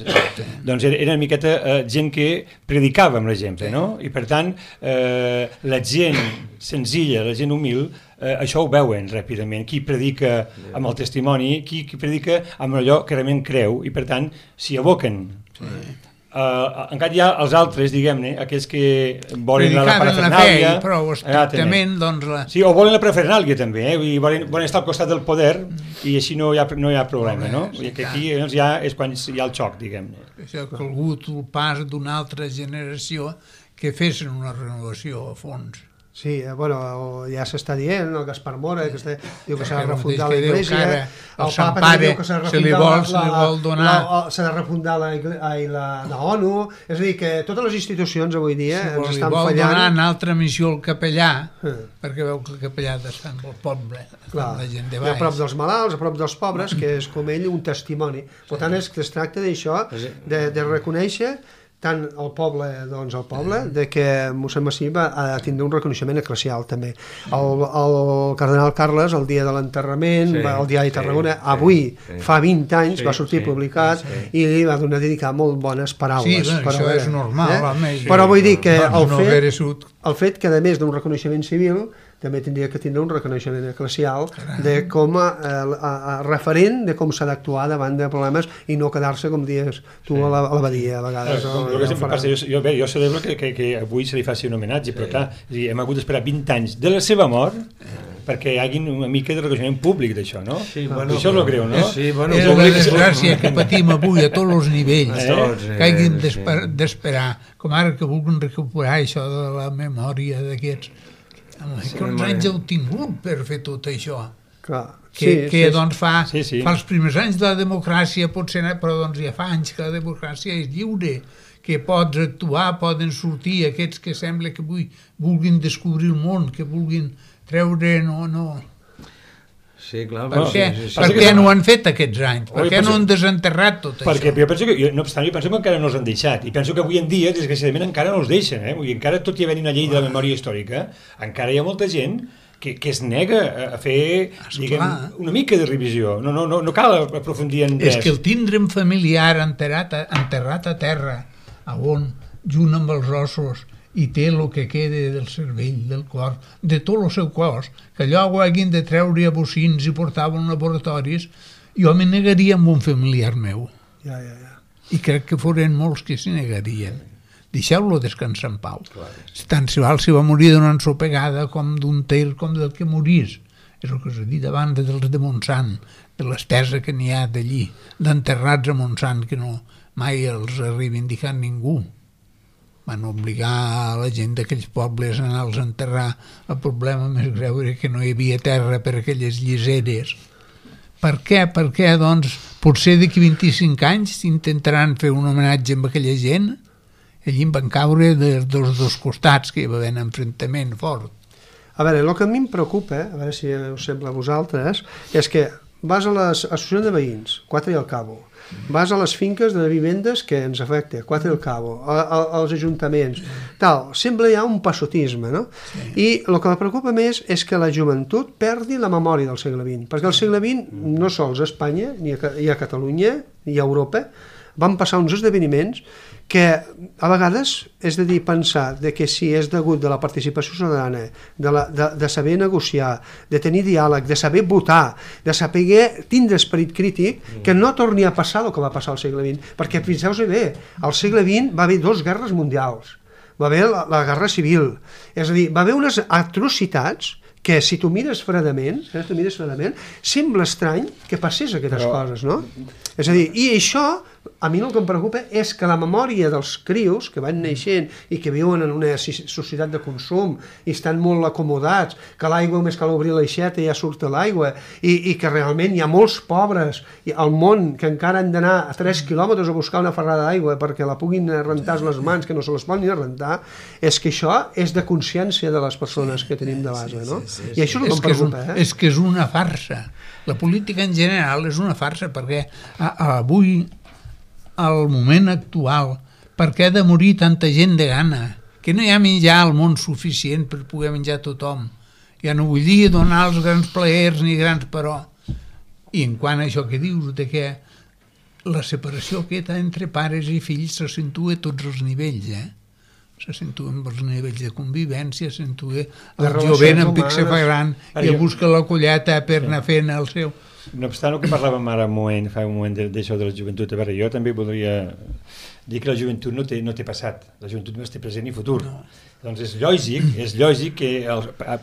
doncs era una miqueta gent que predicava amb la gent, no? I per tant, la gent senzilla, la gent humil, això ho veuen ràpidament, qui predica amb el testimoni, qui predica amb allò que realment creu, i per tant s'hi aboquen. Encara hi ha els altres, diguem-ne, aquells que volen la parafernàlia, però estrictament sí, o volen la parafernàlia també, volen estar al costat del poder i així no hi ha problema, no? I que aquí ja és quan hi ha el xoc, diguem-ne. Això ha calgut el pas d'una altra generació que fessin una renovació a fons. Sí, bueno, ja s'està dient, el Gaspar Mora, que diu que s'ha de refundar la Iglesia, el Papa també diu que s'ha de refundar la ONU, és a dir, que totes les institucions avui dia ens estan fallant. Li vol donar una altra missió al capellà, perquè veu que el capellà està en el poble, la gent de baix. A prop dels malalts, a prop dels pobres, que és com ell un testimoni. Per tant, es tracta d'això, de reconèixer tant el poble, doncs el poble, de que mossèn Massí va tindre un reconeixement eclesial també. El cardenal Carles, el dia de l'enterrament, al diari Tarragona, avui, fa 20 anys, va sortir publicat i li va dedicar molt bones paraules. Sí, això és normal. Però vull dir que el fet que, a més d'un reconeixement civil, també tindria que tindre un reconeixement eclesial de com a referent de com s'ha d'actuar davant de problemes i no quedar-se, com dius tu, a l'abadia a vegades. Jo celebro que avui se li faci un homenatge, però clar, hem hagut d'esperar 20 anys de la seva mort perquè hi hagi una mica de reconeixement públic d'això, no? Això és el greu, no? És la desgràcia que patim avui a tots els nivells, que hagin d'esperar, com ara que vulguin recuperar això de la memòria d'aquests. Quants anys heu tingut per fer tot això? Que doncs fa els primers anys de la democràcia, potser, però doncs ja fa anys que la democràcia és lliure, que pots actuar, poden sortir aquests que sembla que vulguin descobrir el món, que vulguin treure... Sí, clar. Per què no ho han fet aquests anys? Per què no han desenterrat tot això? Perquè jo penso que, no obstant, que encara no els han deixat. I penso que avui en dia, desgraciadament, encara no els deixen. Encara, tot i haver una llei de la memòria històrica, encara hi ha molta gent que es nega a fer, diguem, una mica de revisió. No cal aprofundir en res. És que el tindrem familiar enterrat a terra, on, junt amb els ossos, i té el que queda del cervell, del cor, de tot el seu cos, que allò ho hagin de treure a bocins i portar a laboratoris, jo me negaria amb un familiar meu. I crec que foren molts que s'hi negarien. Deixeu-lo descansar en pau. Tant si val si va morir d'una ensopegada com d'un tir, com del que morís. És el que us he dit abans dels de Montsant, de l'estesa que n'hi ha d'allí, d'enterrats a Montsant, que no mai els ha reivindicat ningú. Van obligar la gent d'aquells pobles a anar-los a enterrar. El problema més greu era que no hi havia terra per aquelles lliseres. Per què? Perquè, doncs, potser d'aquí 25 anys intentaran fer un homenatge amb aquella gent. Allí en van caure dels dos costats, que hi va haver un enfrontament fort. A veure, el que a mi em preocupa, a veure si us sembla a vosaltres, és que vas a les associacions de veïns, Quatre i al Cabo, vas a les finques de vivendes que ens afecta, Quatre i al Cabo, als ajuntaments, tal, sempre hi ha un passotisme, no? I el que me preocupa més és que la joventut perdi la memòria del segle XX, perquè el segle XX, no sols a Espanya, ni a Catalunya, ni a Europa, van passar uns esdeveniments que a vegades és de dir, pensar de que si és degut de la participació ciutadana, de saber negociar, de tenir diàleg, de saber votar, de saber tindre esperit crític, que no torni a passar el que va passar al segle XX. Perquè, fixeu-vos bé, al segle XX va haver 2 guerres mundials, va haver la guerra civil, és a dir, va haver unes atrocitats que si tu mires fredament, sembla estrany que passés aquestes coses, no? És a dir, i això a mi el que em preocupa és que la memòria dels crios que van naixent i que viuen en una societat de consum i estan molt acomodats, que l'aigua només cal obrir l'aixeta i ja surt l'aigua, i que realment hi ha molts pobres al món que encara han d'anar a 3 quilòmetres a buscar una ferrada d'aigua perquè la puguin rentar les mans, que no se les poden ni rentar, és que això és de consciència de les persones que tenim de base, no? I això és el que em preocupa. És que és una farsa. La política en general és una farsa perquè avui, al moment actual, per què ha de morir tanta gent de gana? Que no hi ha menjar al món suficient per poder menjar tothom. Ja no vull dir donar els grans plaers ni grans però. I en quant a això que dius, de que la separació aquesta entre pares i fills se sentua a tots els nivells, se sentua amb els nivells de convivència, se sentua el jovent en pic se fa gran i busca la colleta per anar fent el seu... No obstant, el que parlàvem ara fa un moment d'això de la joventut, a veure, jo també voldria dir que la joventut no té passat, la joventut no té present ni futur. No. Doncs és lògic que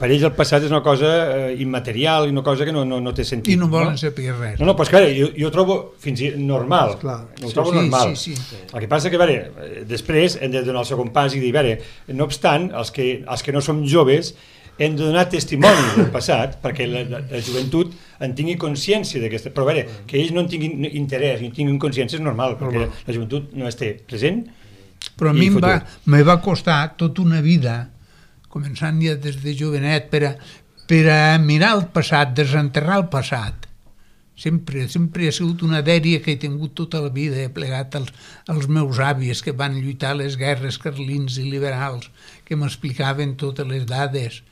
per ells el passat és una cosa immaterial i una cosa que no té sentit. I no volen saber res. No, però és que jo ho trobo fins i tot normal. Ho trobo normal. Sí. El que passa que, a veure, després hem de donar el segon pas i dir, a veure, no obstant, els que no som joves hem de donar testimoni del passat perquè la joventut en tingui consciència d'aquesta, però a veure, que ells no en tinguin interès i en tinguin consciència és normal, perquè la joventut no es té present. Però a mi me va costar tota una vida, començant ja des de jovenet, per a mirar el passat, desenterrar el passat. Sempre ha sigut una dèria que he tingut tota la vida, he plegat els meus avis que van lluitar les guerres carlins i liberals, que m'explicaven totes les dades,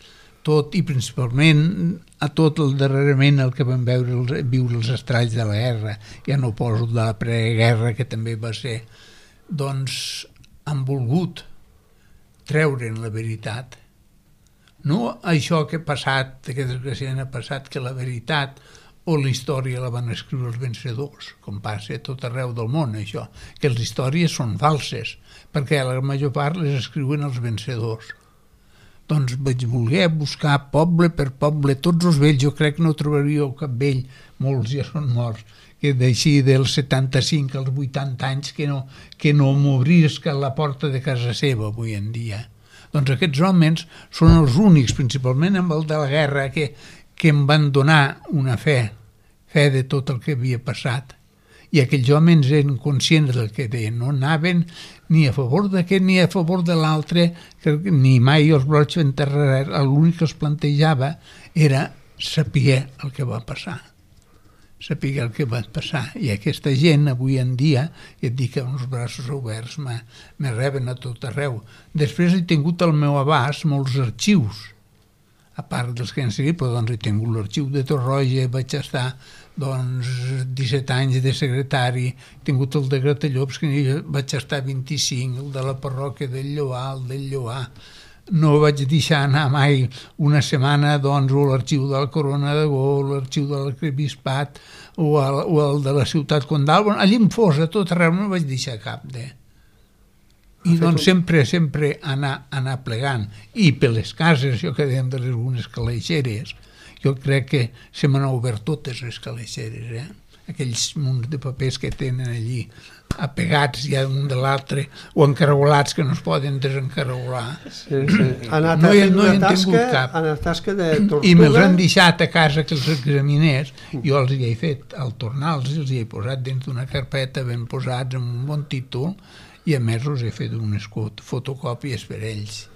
tot i principalment a tot el darrerament el que vam viure els estralls de la guerra, ja no poso de la preguerra que també va ser, doncs han volgut treure'n la veritat. No això que ha passat, que desgraciadament ha passat, que la veritat o la història la van escriure els vencedors, com passa a tot arreu del món, això, que les històries són falses, perquè la major part les escriuen els vencedors. Doncs vaig voler buscar poble per poble, tots els vells, jo crec que no trobaríeu cap vell, molts ja són morts, que d'així dels 75 als 80 anys que no m'obrisca la porta de casa seva avui en dia. Doncs aquests homes són els únics, principalment amb el de la guerra, que em van donar una fe de tot el que havia passat. I aquells homes eren conscients del que deien, no anaven ni a favor d'aquest ni a favor de l'altre, ni mai els brots enterrar, l'únic que es plantejava era saber el que va passar. Saber el que va passar. I aquesta gent, avui en dia, ja et dic que amb els braços oberts me reben a tot arreu. Després he tingut al meu abast molts arxius, a part dels que han seguit, però doncs he tingut l'arxiu de Torroja, vaig estar 17 anys de secretari, he tingut el de Gratallops, que vaig estar 25, el de la parròquia del Lloar, el del Lloar. No vaig deixar anar mai una setmana o l'arxiu de la Corona de Gol, l'arxiu de l'arquebisbat o el de la ciutat condal. Allí em fos, a tot arreu, no vaig deixar cap de... I doncs sempre anar plegant. I per les cases, això que dèiem de les algunes calaixeres, jo crec que se m'han obert totes les calaixeres, aquells munts de papers que tenen allí apegats ja un de l'altre o encaragolats que no es poden desencarolar. Ha anat fent una tasca de tortuga. I me'ls han deixat a casa que els examinés, jo els hi he fet, al tornar-los els hi he posat dins d'una carpeta ben posats amb un bon títol i a més us he fet unes fotocòpies per ells.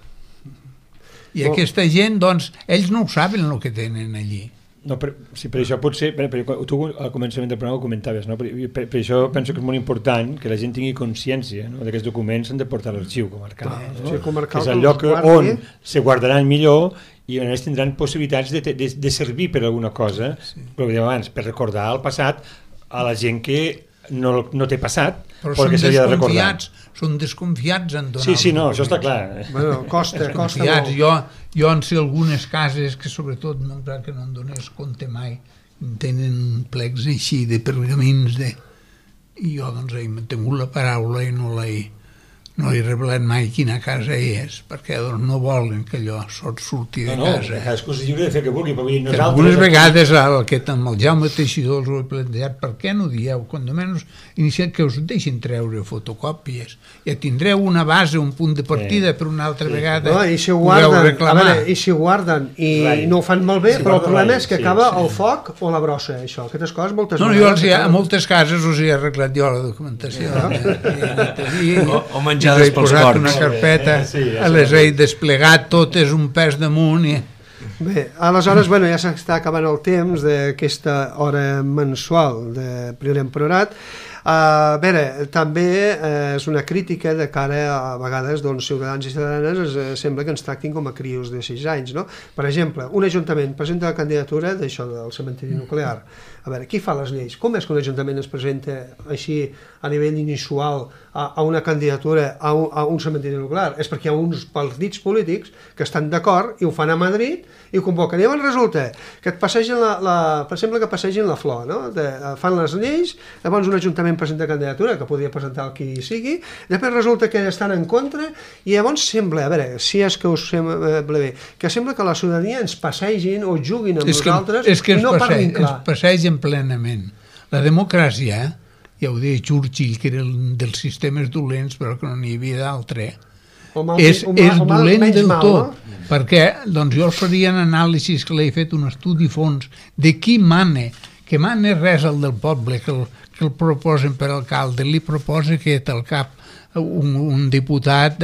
I aquesta gent, doncs, ells no ho saben el que tenen allí. No, per això potser, tu al començament del programa ho comentaves, no? Per això penso que és molt important que la gent tingui consciència, no? D'aquests documents s'han de portar a l'arxiu comarcal, no? Que és el lloc on se guardaran millor i on ells tindran possibilitats de servir per alguna cosa, però abans, per recordar el passat a la gent que no té passat, però que s'havia de recordar. Són desconfiats en donar. Sí, no, això està clar. Bueno, costa molt. Jo en sé algunes cases que sobretot no en donés compte mai, tenen plecs així de pergamins i jo doncs he mantingut la paraula i no l'he no li revelat mai quina casa és, perquè doncs, no volen que allò surti de casa. No, cadascú és lliure de fer que vulgui, però nosaltres... Algunes vegades amb el Jaume Teixidor els ho he plantejat, per què no dieu, quan almenys iniciat que us deixin treure fotocòpies, ja tindreu una base, un punt de partida per una altra vegada, no, i si ho guarden, i si ho guarden i no ho fan malbé, però el problema és que acaba el foc o la brossa, això, aquestes coses moltes vegades... Jo a moltes cases us he arreglat jo la documentació. O menjades pels porcs. Una carpeta, les he desplegat totes un pes damunt i... Bé, aleshores, ja s'està acabant el temps d'aquesta hora mensual de Priorat en Priorat. A veure, també és una crítica de cara a vegades ciutadans i ciutadanes sembla que ens tractin com a crios de 6 anys, no? Per exemple, un ajuntament presenta la candidatura d'això del cementiri nuclear. A veure, qui fa les lleis? Com és que un ajuntament es presenta així a nivell inusual a una candidatura a un cementiri nuclear? És perquè hi ha uns partits polítics que estan d'acord i ho fan a Madrid i ho convoquen. I llavors resulta que et passegen per exemple, que passegin la flor, no? Fan les lleis, llavors un ajuntament presenta candidatura, que podria presentar el qui sigui, després resulta que estan en contra i llavors sembla, a veure, si és que us sembla bé, que sembla que la ciutadania ens passegin o juguin amb nosaltres i no parlin clar. Es passegen plenament. La democràcia, ja ho deia Churchill, que era un dels sistemes dolents, però que no n'hi havia d'altre, és dolent del tot, perquè jo els faria en anàlisis que l'he fet un estudi fons de qui mana, que mana res el del poble, que el proposen per alcalde, li proposa que al cap un diputat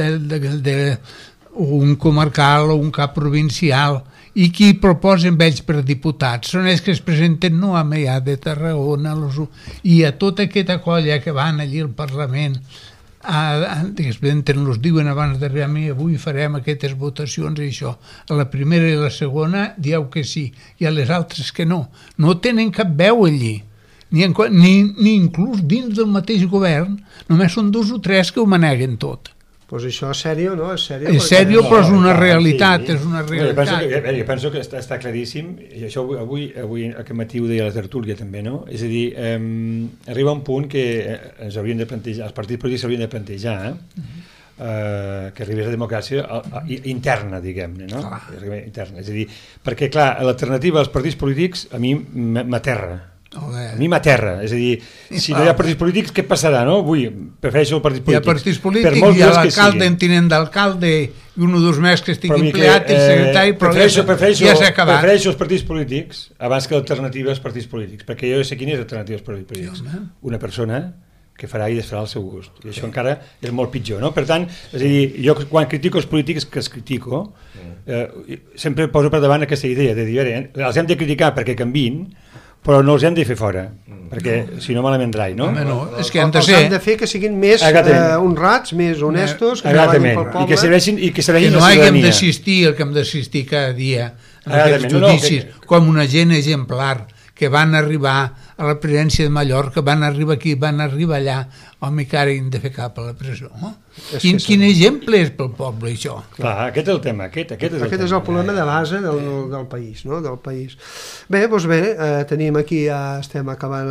un comarcal o un cap provincial, i qui proposen ells per diputats són ells que es presenten no a Meià de Tarragona i a tota aquesta colla que van allí al Parlament els diuen abans d'arribar a mi avui farem aquestes votacions i això, a la primera i la segona dieu que sí i a les altres que no tenen cap veu allí ni inclús dins del mateix govern només són 2 o 3 que ho maneguen tot. Doncs això és sèrio, no? És sèrio, però és una realitat, és una realitat. Jo penso que està claríssim, i això avui aquest matí ho deia la tertúlia també, no? És a dir, arriba un punt que ens haurien de plantejar, els partits polítics s'haurien de plantejar, que arribés a democràcia interna, diguem-ne, no? Interna, és a dir, perquè, clar, l'alternativa als partits polítics a mi m'aterra. A mi m'aterra, és a dir, si no hi ha partits polítics, què passarà, no? Avui prefereixo el partit polític. Hi ha partits polítics, hi ha l'alcalde, en tinent d'alcalde, i un o dos més que estigui empleat, el secretari, però ja s'ha acabat. Prefereixo els partits polítics abans que l'alternativa als partits polítics, perquè jo sé quina és l'alternativa als partits polítics. Una persona que farà i desfarà al seu gust, i això encara és molt pitjor, no? Per tant, és a dir, jo quan critico els polítics, que els critico, sempre poso per davant aquesta idea de dir, els hem de criticar perquè canviïn, però no els hem de fer fora, perquè si no malament rai, no? És que han de ser... Els han de fer que siguin més honrats, més honestos, que treballin pel poble. I que serveixin la ciutadania. Que no haguem d'assistir el que hem d'assistir cada dia a aquests judicis, com una gent exemplar, que van arribar a la presidència de Mallorca, van arribar aquí, van arribar allà, home, que ara hem de fer cap a la presó. Quin exemple és pel poble, això? Clar, aquest és el tema. Aquest és el problema de base del país, no? Del país. Bé, doncs bé, tenim aquí, ja estem acabant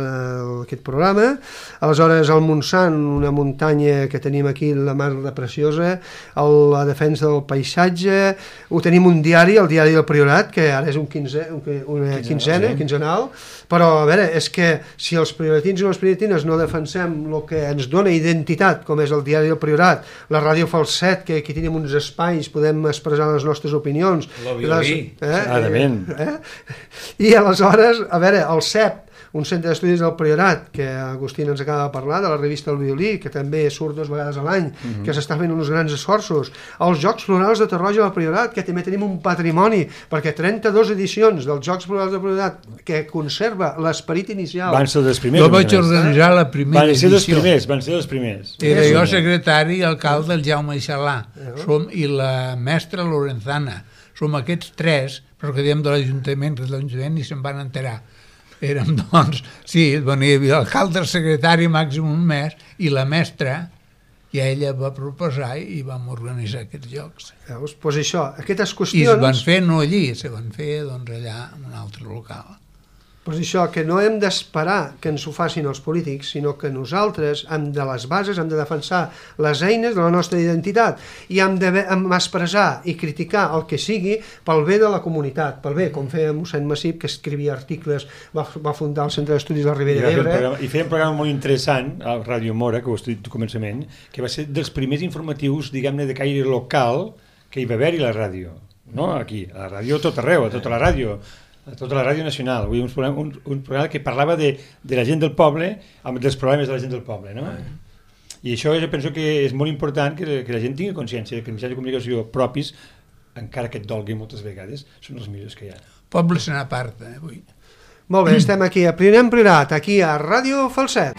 aquest programa. Aleshores, el Montsant, una muntanya que tenim aquí, la Mar de Preciosa, la defensa del paisatge, ho tenim un diari, el Diari del Priorat, que ara és una quinzenal, però, a veure, és que si els prioratins i les prioratines no defensem el que ens dona identitat, com és el Diari del Priorat, la Ràdio Falset, que aquí tenim uns espais, podem expressar les nostres opinions. I aleshores, a veure, el CEP, un centre d'estudis del Priorat, que Agustín ens acaba de parlar, de la revista El Violí, que també surt 2 vegades a l'any, que s'està fent uns grans esforços. Els Jocs Florals de Torroja del Priorat, que també tenim un patrimoni, perquè 32 edicions dels Jocs Florals del Priorat, que conserva l'esperit inicial. Van ser dels primers. Jo vaig organitzar la primera edició. Van ser dels primers. Era jo secretari i alcalde del Jaume Ixalà, i la mestra Lorenzana. Som aquests 3, però que diem de l'Ajuntament, que l'Ajuntament ni se'n van enterar. Érem, doncs, sí, hi havia l'alcalde, el secretari, màxim un mes, i la mestra, i ella va proposar i vam organitzar aquests jocs. Veus? Doncs això, aquestes qüestions... I es van fer no allí, se van fer doncs, allà en un altre local. Però és això, que no hem d'esperar que ens ho facin els polítics, sinó que nosaltres hem de les bases, hem de defensar les eines de la nostra identitat i hem d'expressar i criticar el que sigui pel bé de la comunitat, pel bé, com feia mossèn Massip, que escrivia articles, va fundar el Centre d'Estudis de la Ribera d'Ebre. I feia un programa molt interessant a Ràdio Mora, que ho he dit al començament, que va ser dels primers informatius, diguem-ne, de caire local que hi va haver-hi la ràdio. No? Aquí, a la ràdio tot arreu, a tota la ràdio nacional, un programa que parlava de la gent del poble, dels problemes de la gent del poble, no? I això jo penso que és molt important que la gent tingui consciència que els mitjans de comunicació propis, encara que et dolgui moltes vegades, són els millors que hi ha. Poble se n'aparta, avui. Molt bé, estem aquí a Priorat Priorat, aquí a Ràdio Falset.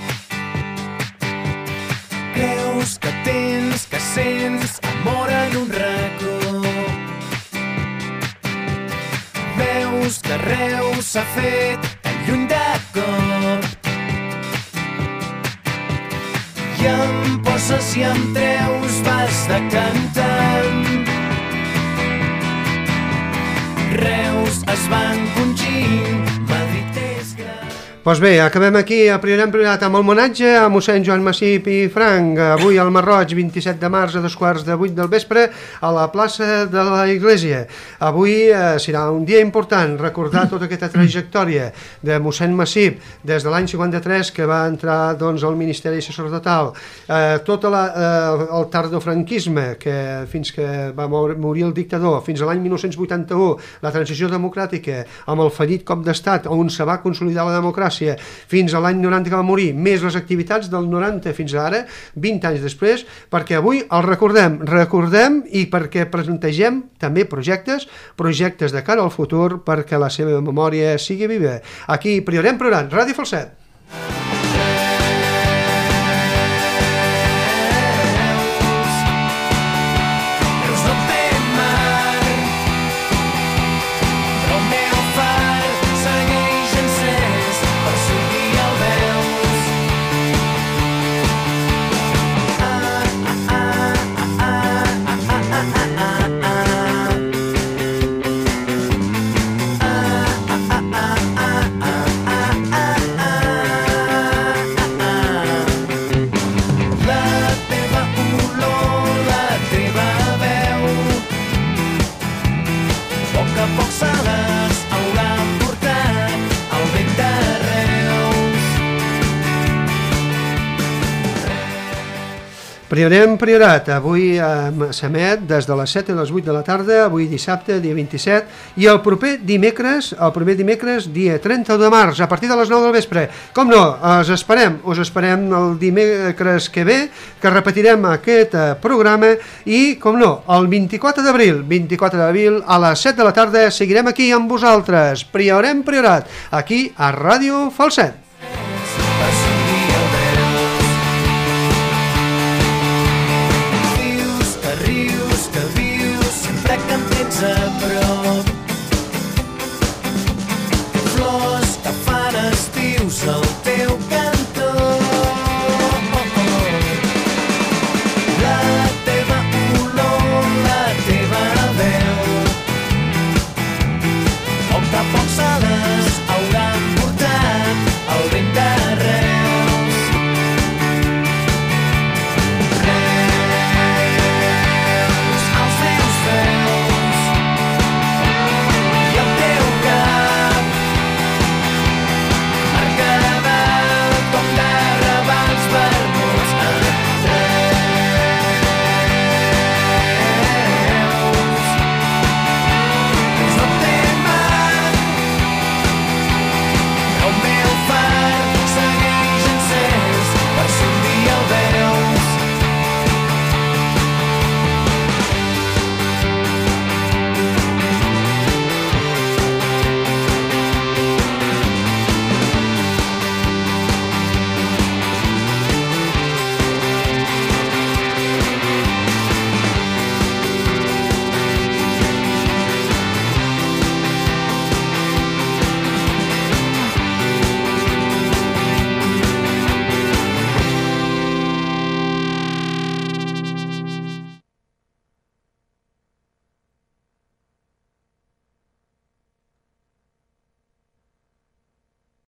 Creus que tens, que sents amor en un racó. Veus que Reus s'ha fet tan lluny de cop i em poses i em treus, vas decantant. Reus es va encongint, Madrid és gran. Doncs bé, acabem aquí a Priorat amb homenatge a mossèn Joan Massip i Frank, avui al Marroig, 27 de març a 7:15 del vespre a la plaça de la Iglesia. Avui serà un dia important, recordar tota aquesta trajectòria de mossèn Massip des de l'any 53 que va entrar doncs, al Ministeri Sacerdotal, tot el tardofranquisme fins que va morir el dictador, fins a l'any 1981, la transició democràtica amb el fallit cop d'estat on se va consolidar la democràcia, fins a l'any 90 que va morir, més les activitats del 90 fins ara, 20 anys després, perquè avui el recordem i perquè presentegem també projectes de cara al futur perquè la seva memòria sigui viva. Aquí, Priorat, Ràdio Falset. Priorat, avui s'emet des de les 7 a les 8 de la tarda, avui dissabte, dia 27, i el proper dimecres, dia 30 de març, a partir de les 9 del vespre. Com no, us esperem el dimecres que ve, que repetirem aquest programa, i, com no, el 24 d'abril, a les 7 de la tarda, seguirem aquí amb vosaltres, Priorat, aquí a Ràdio Falset. Sempre que em tens a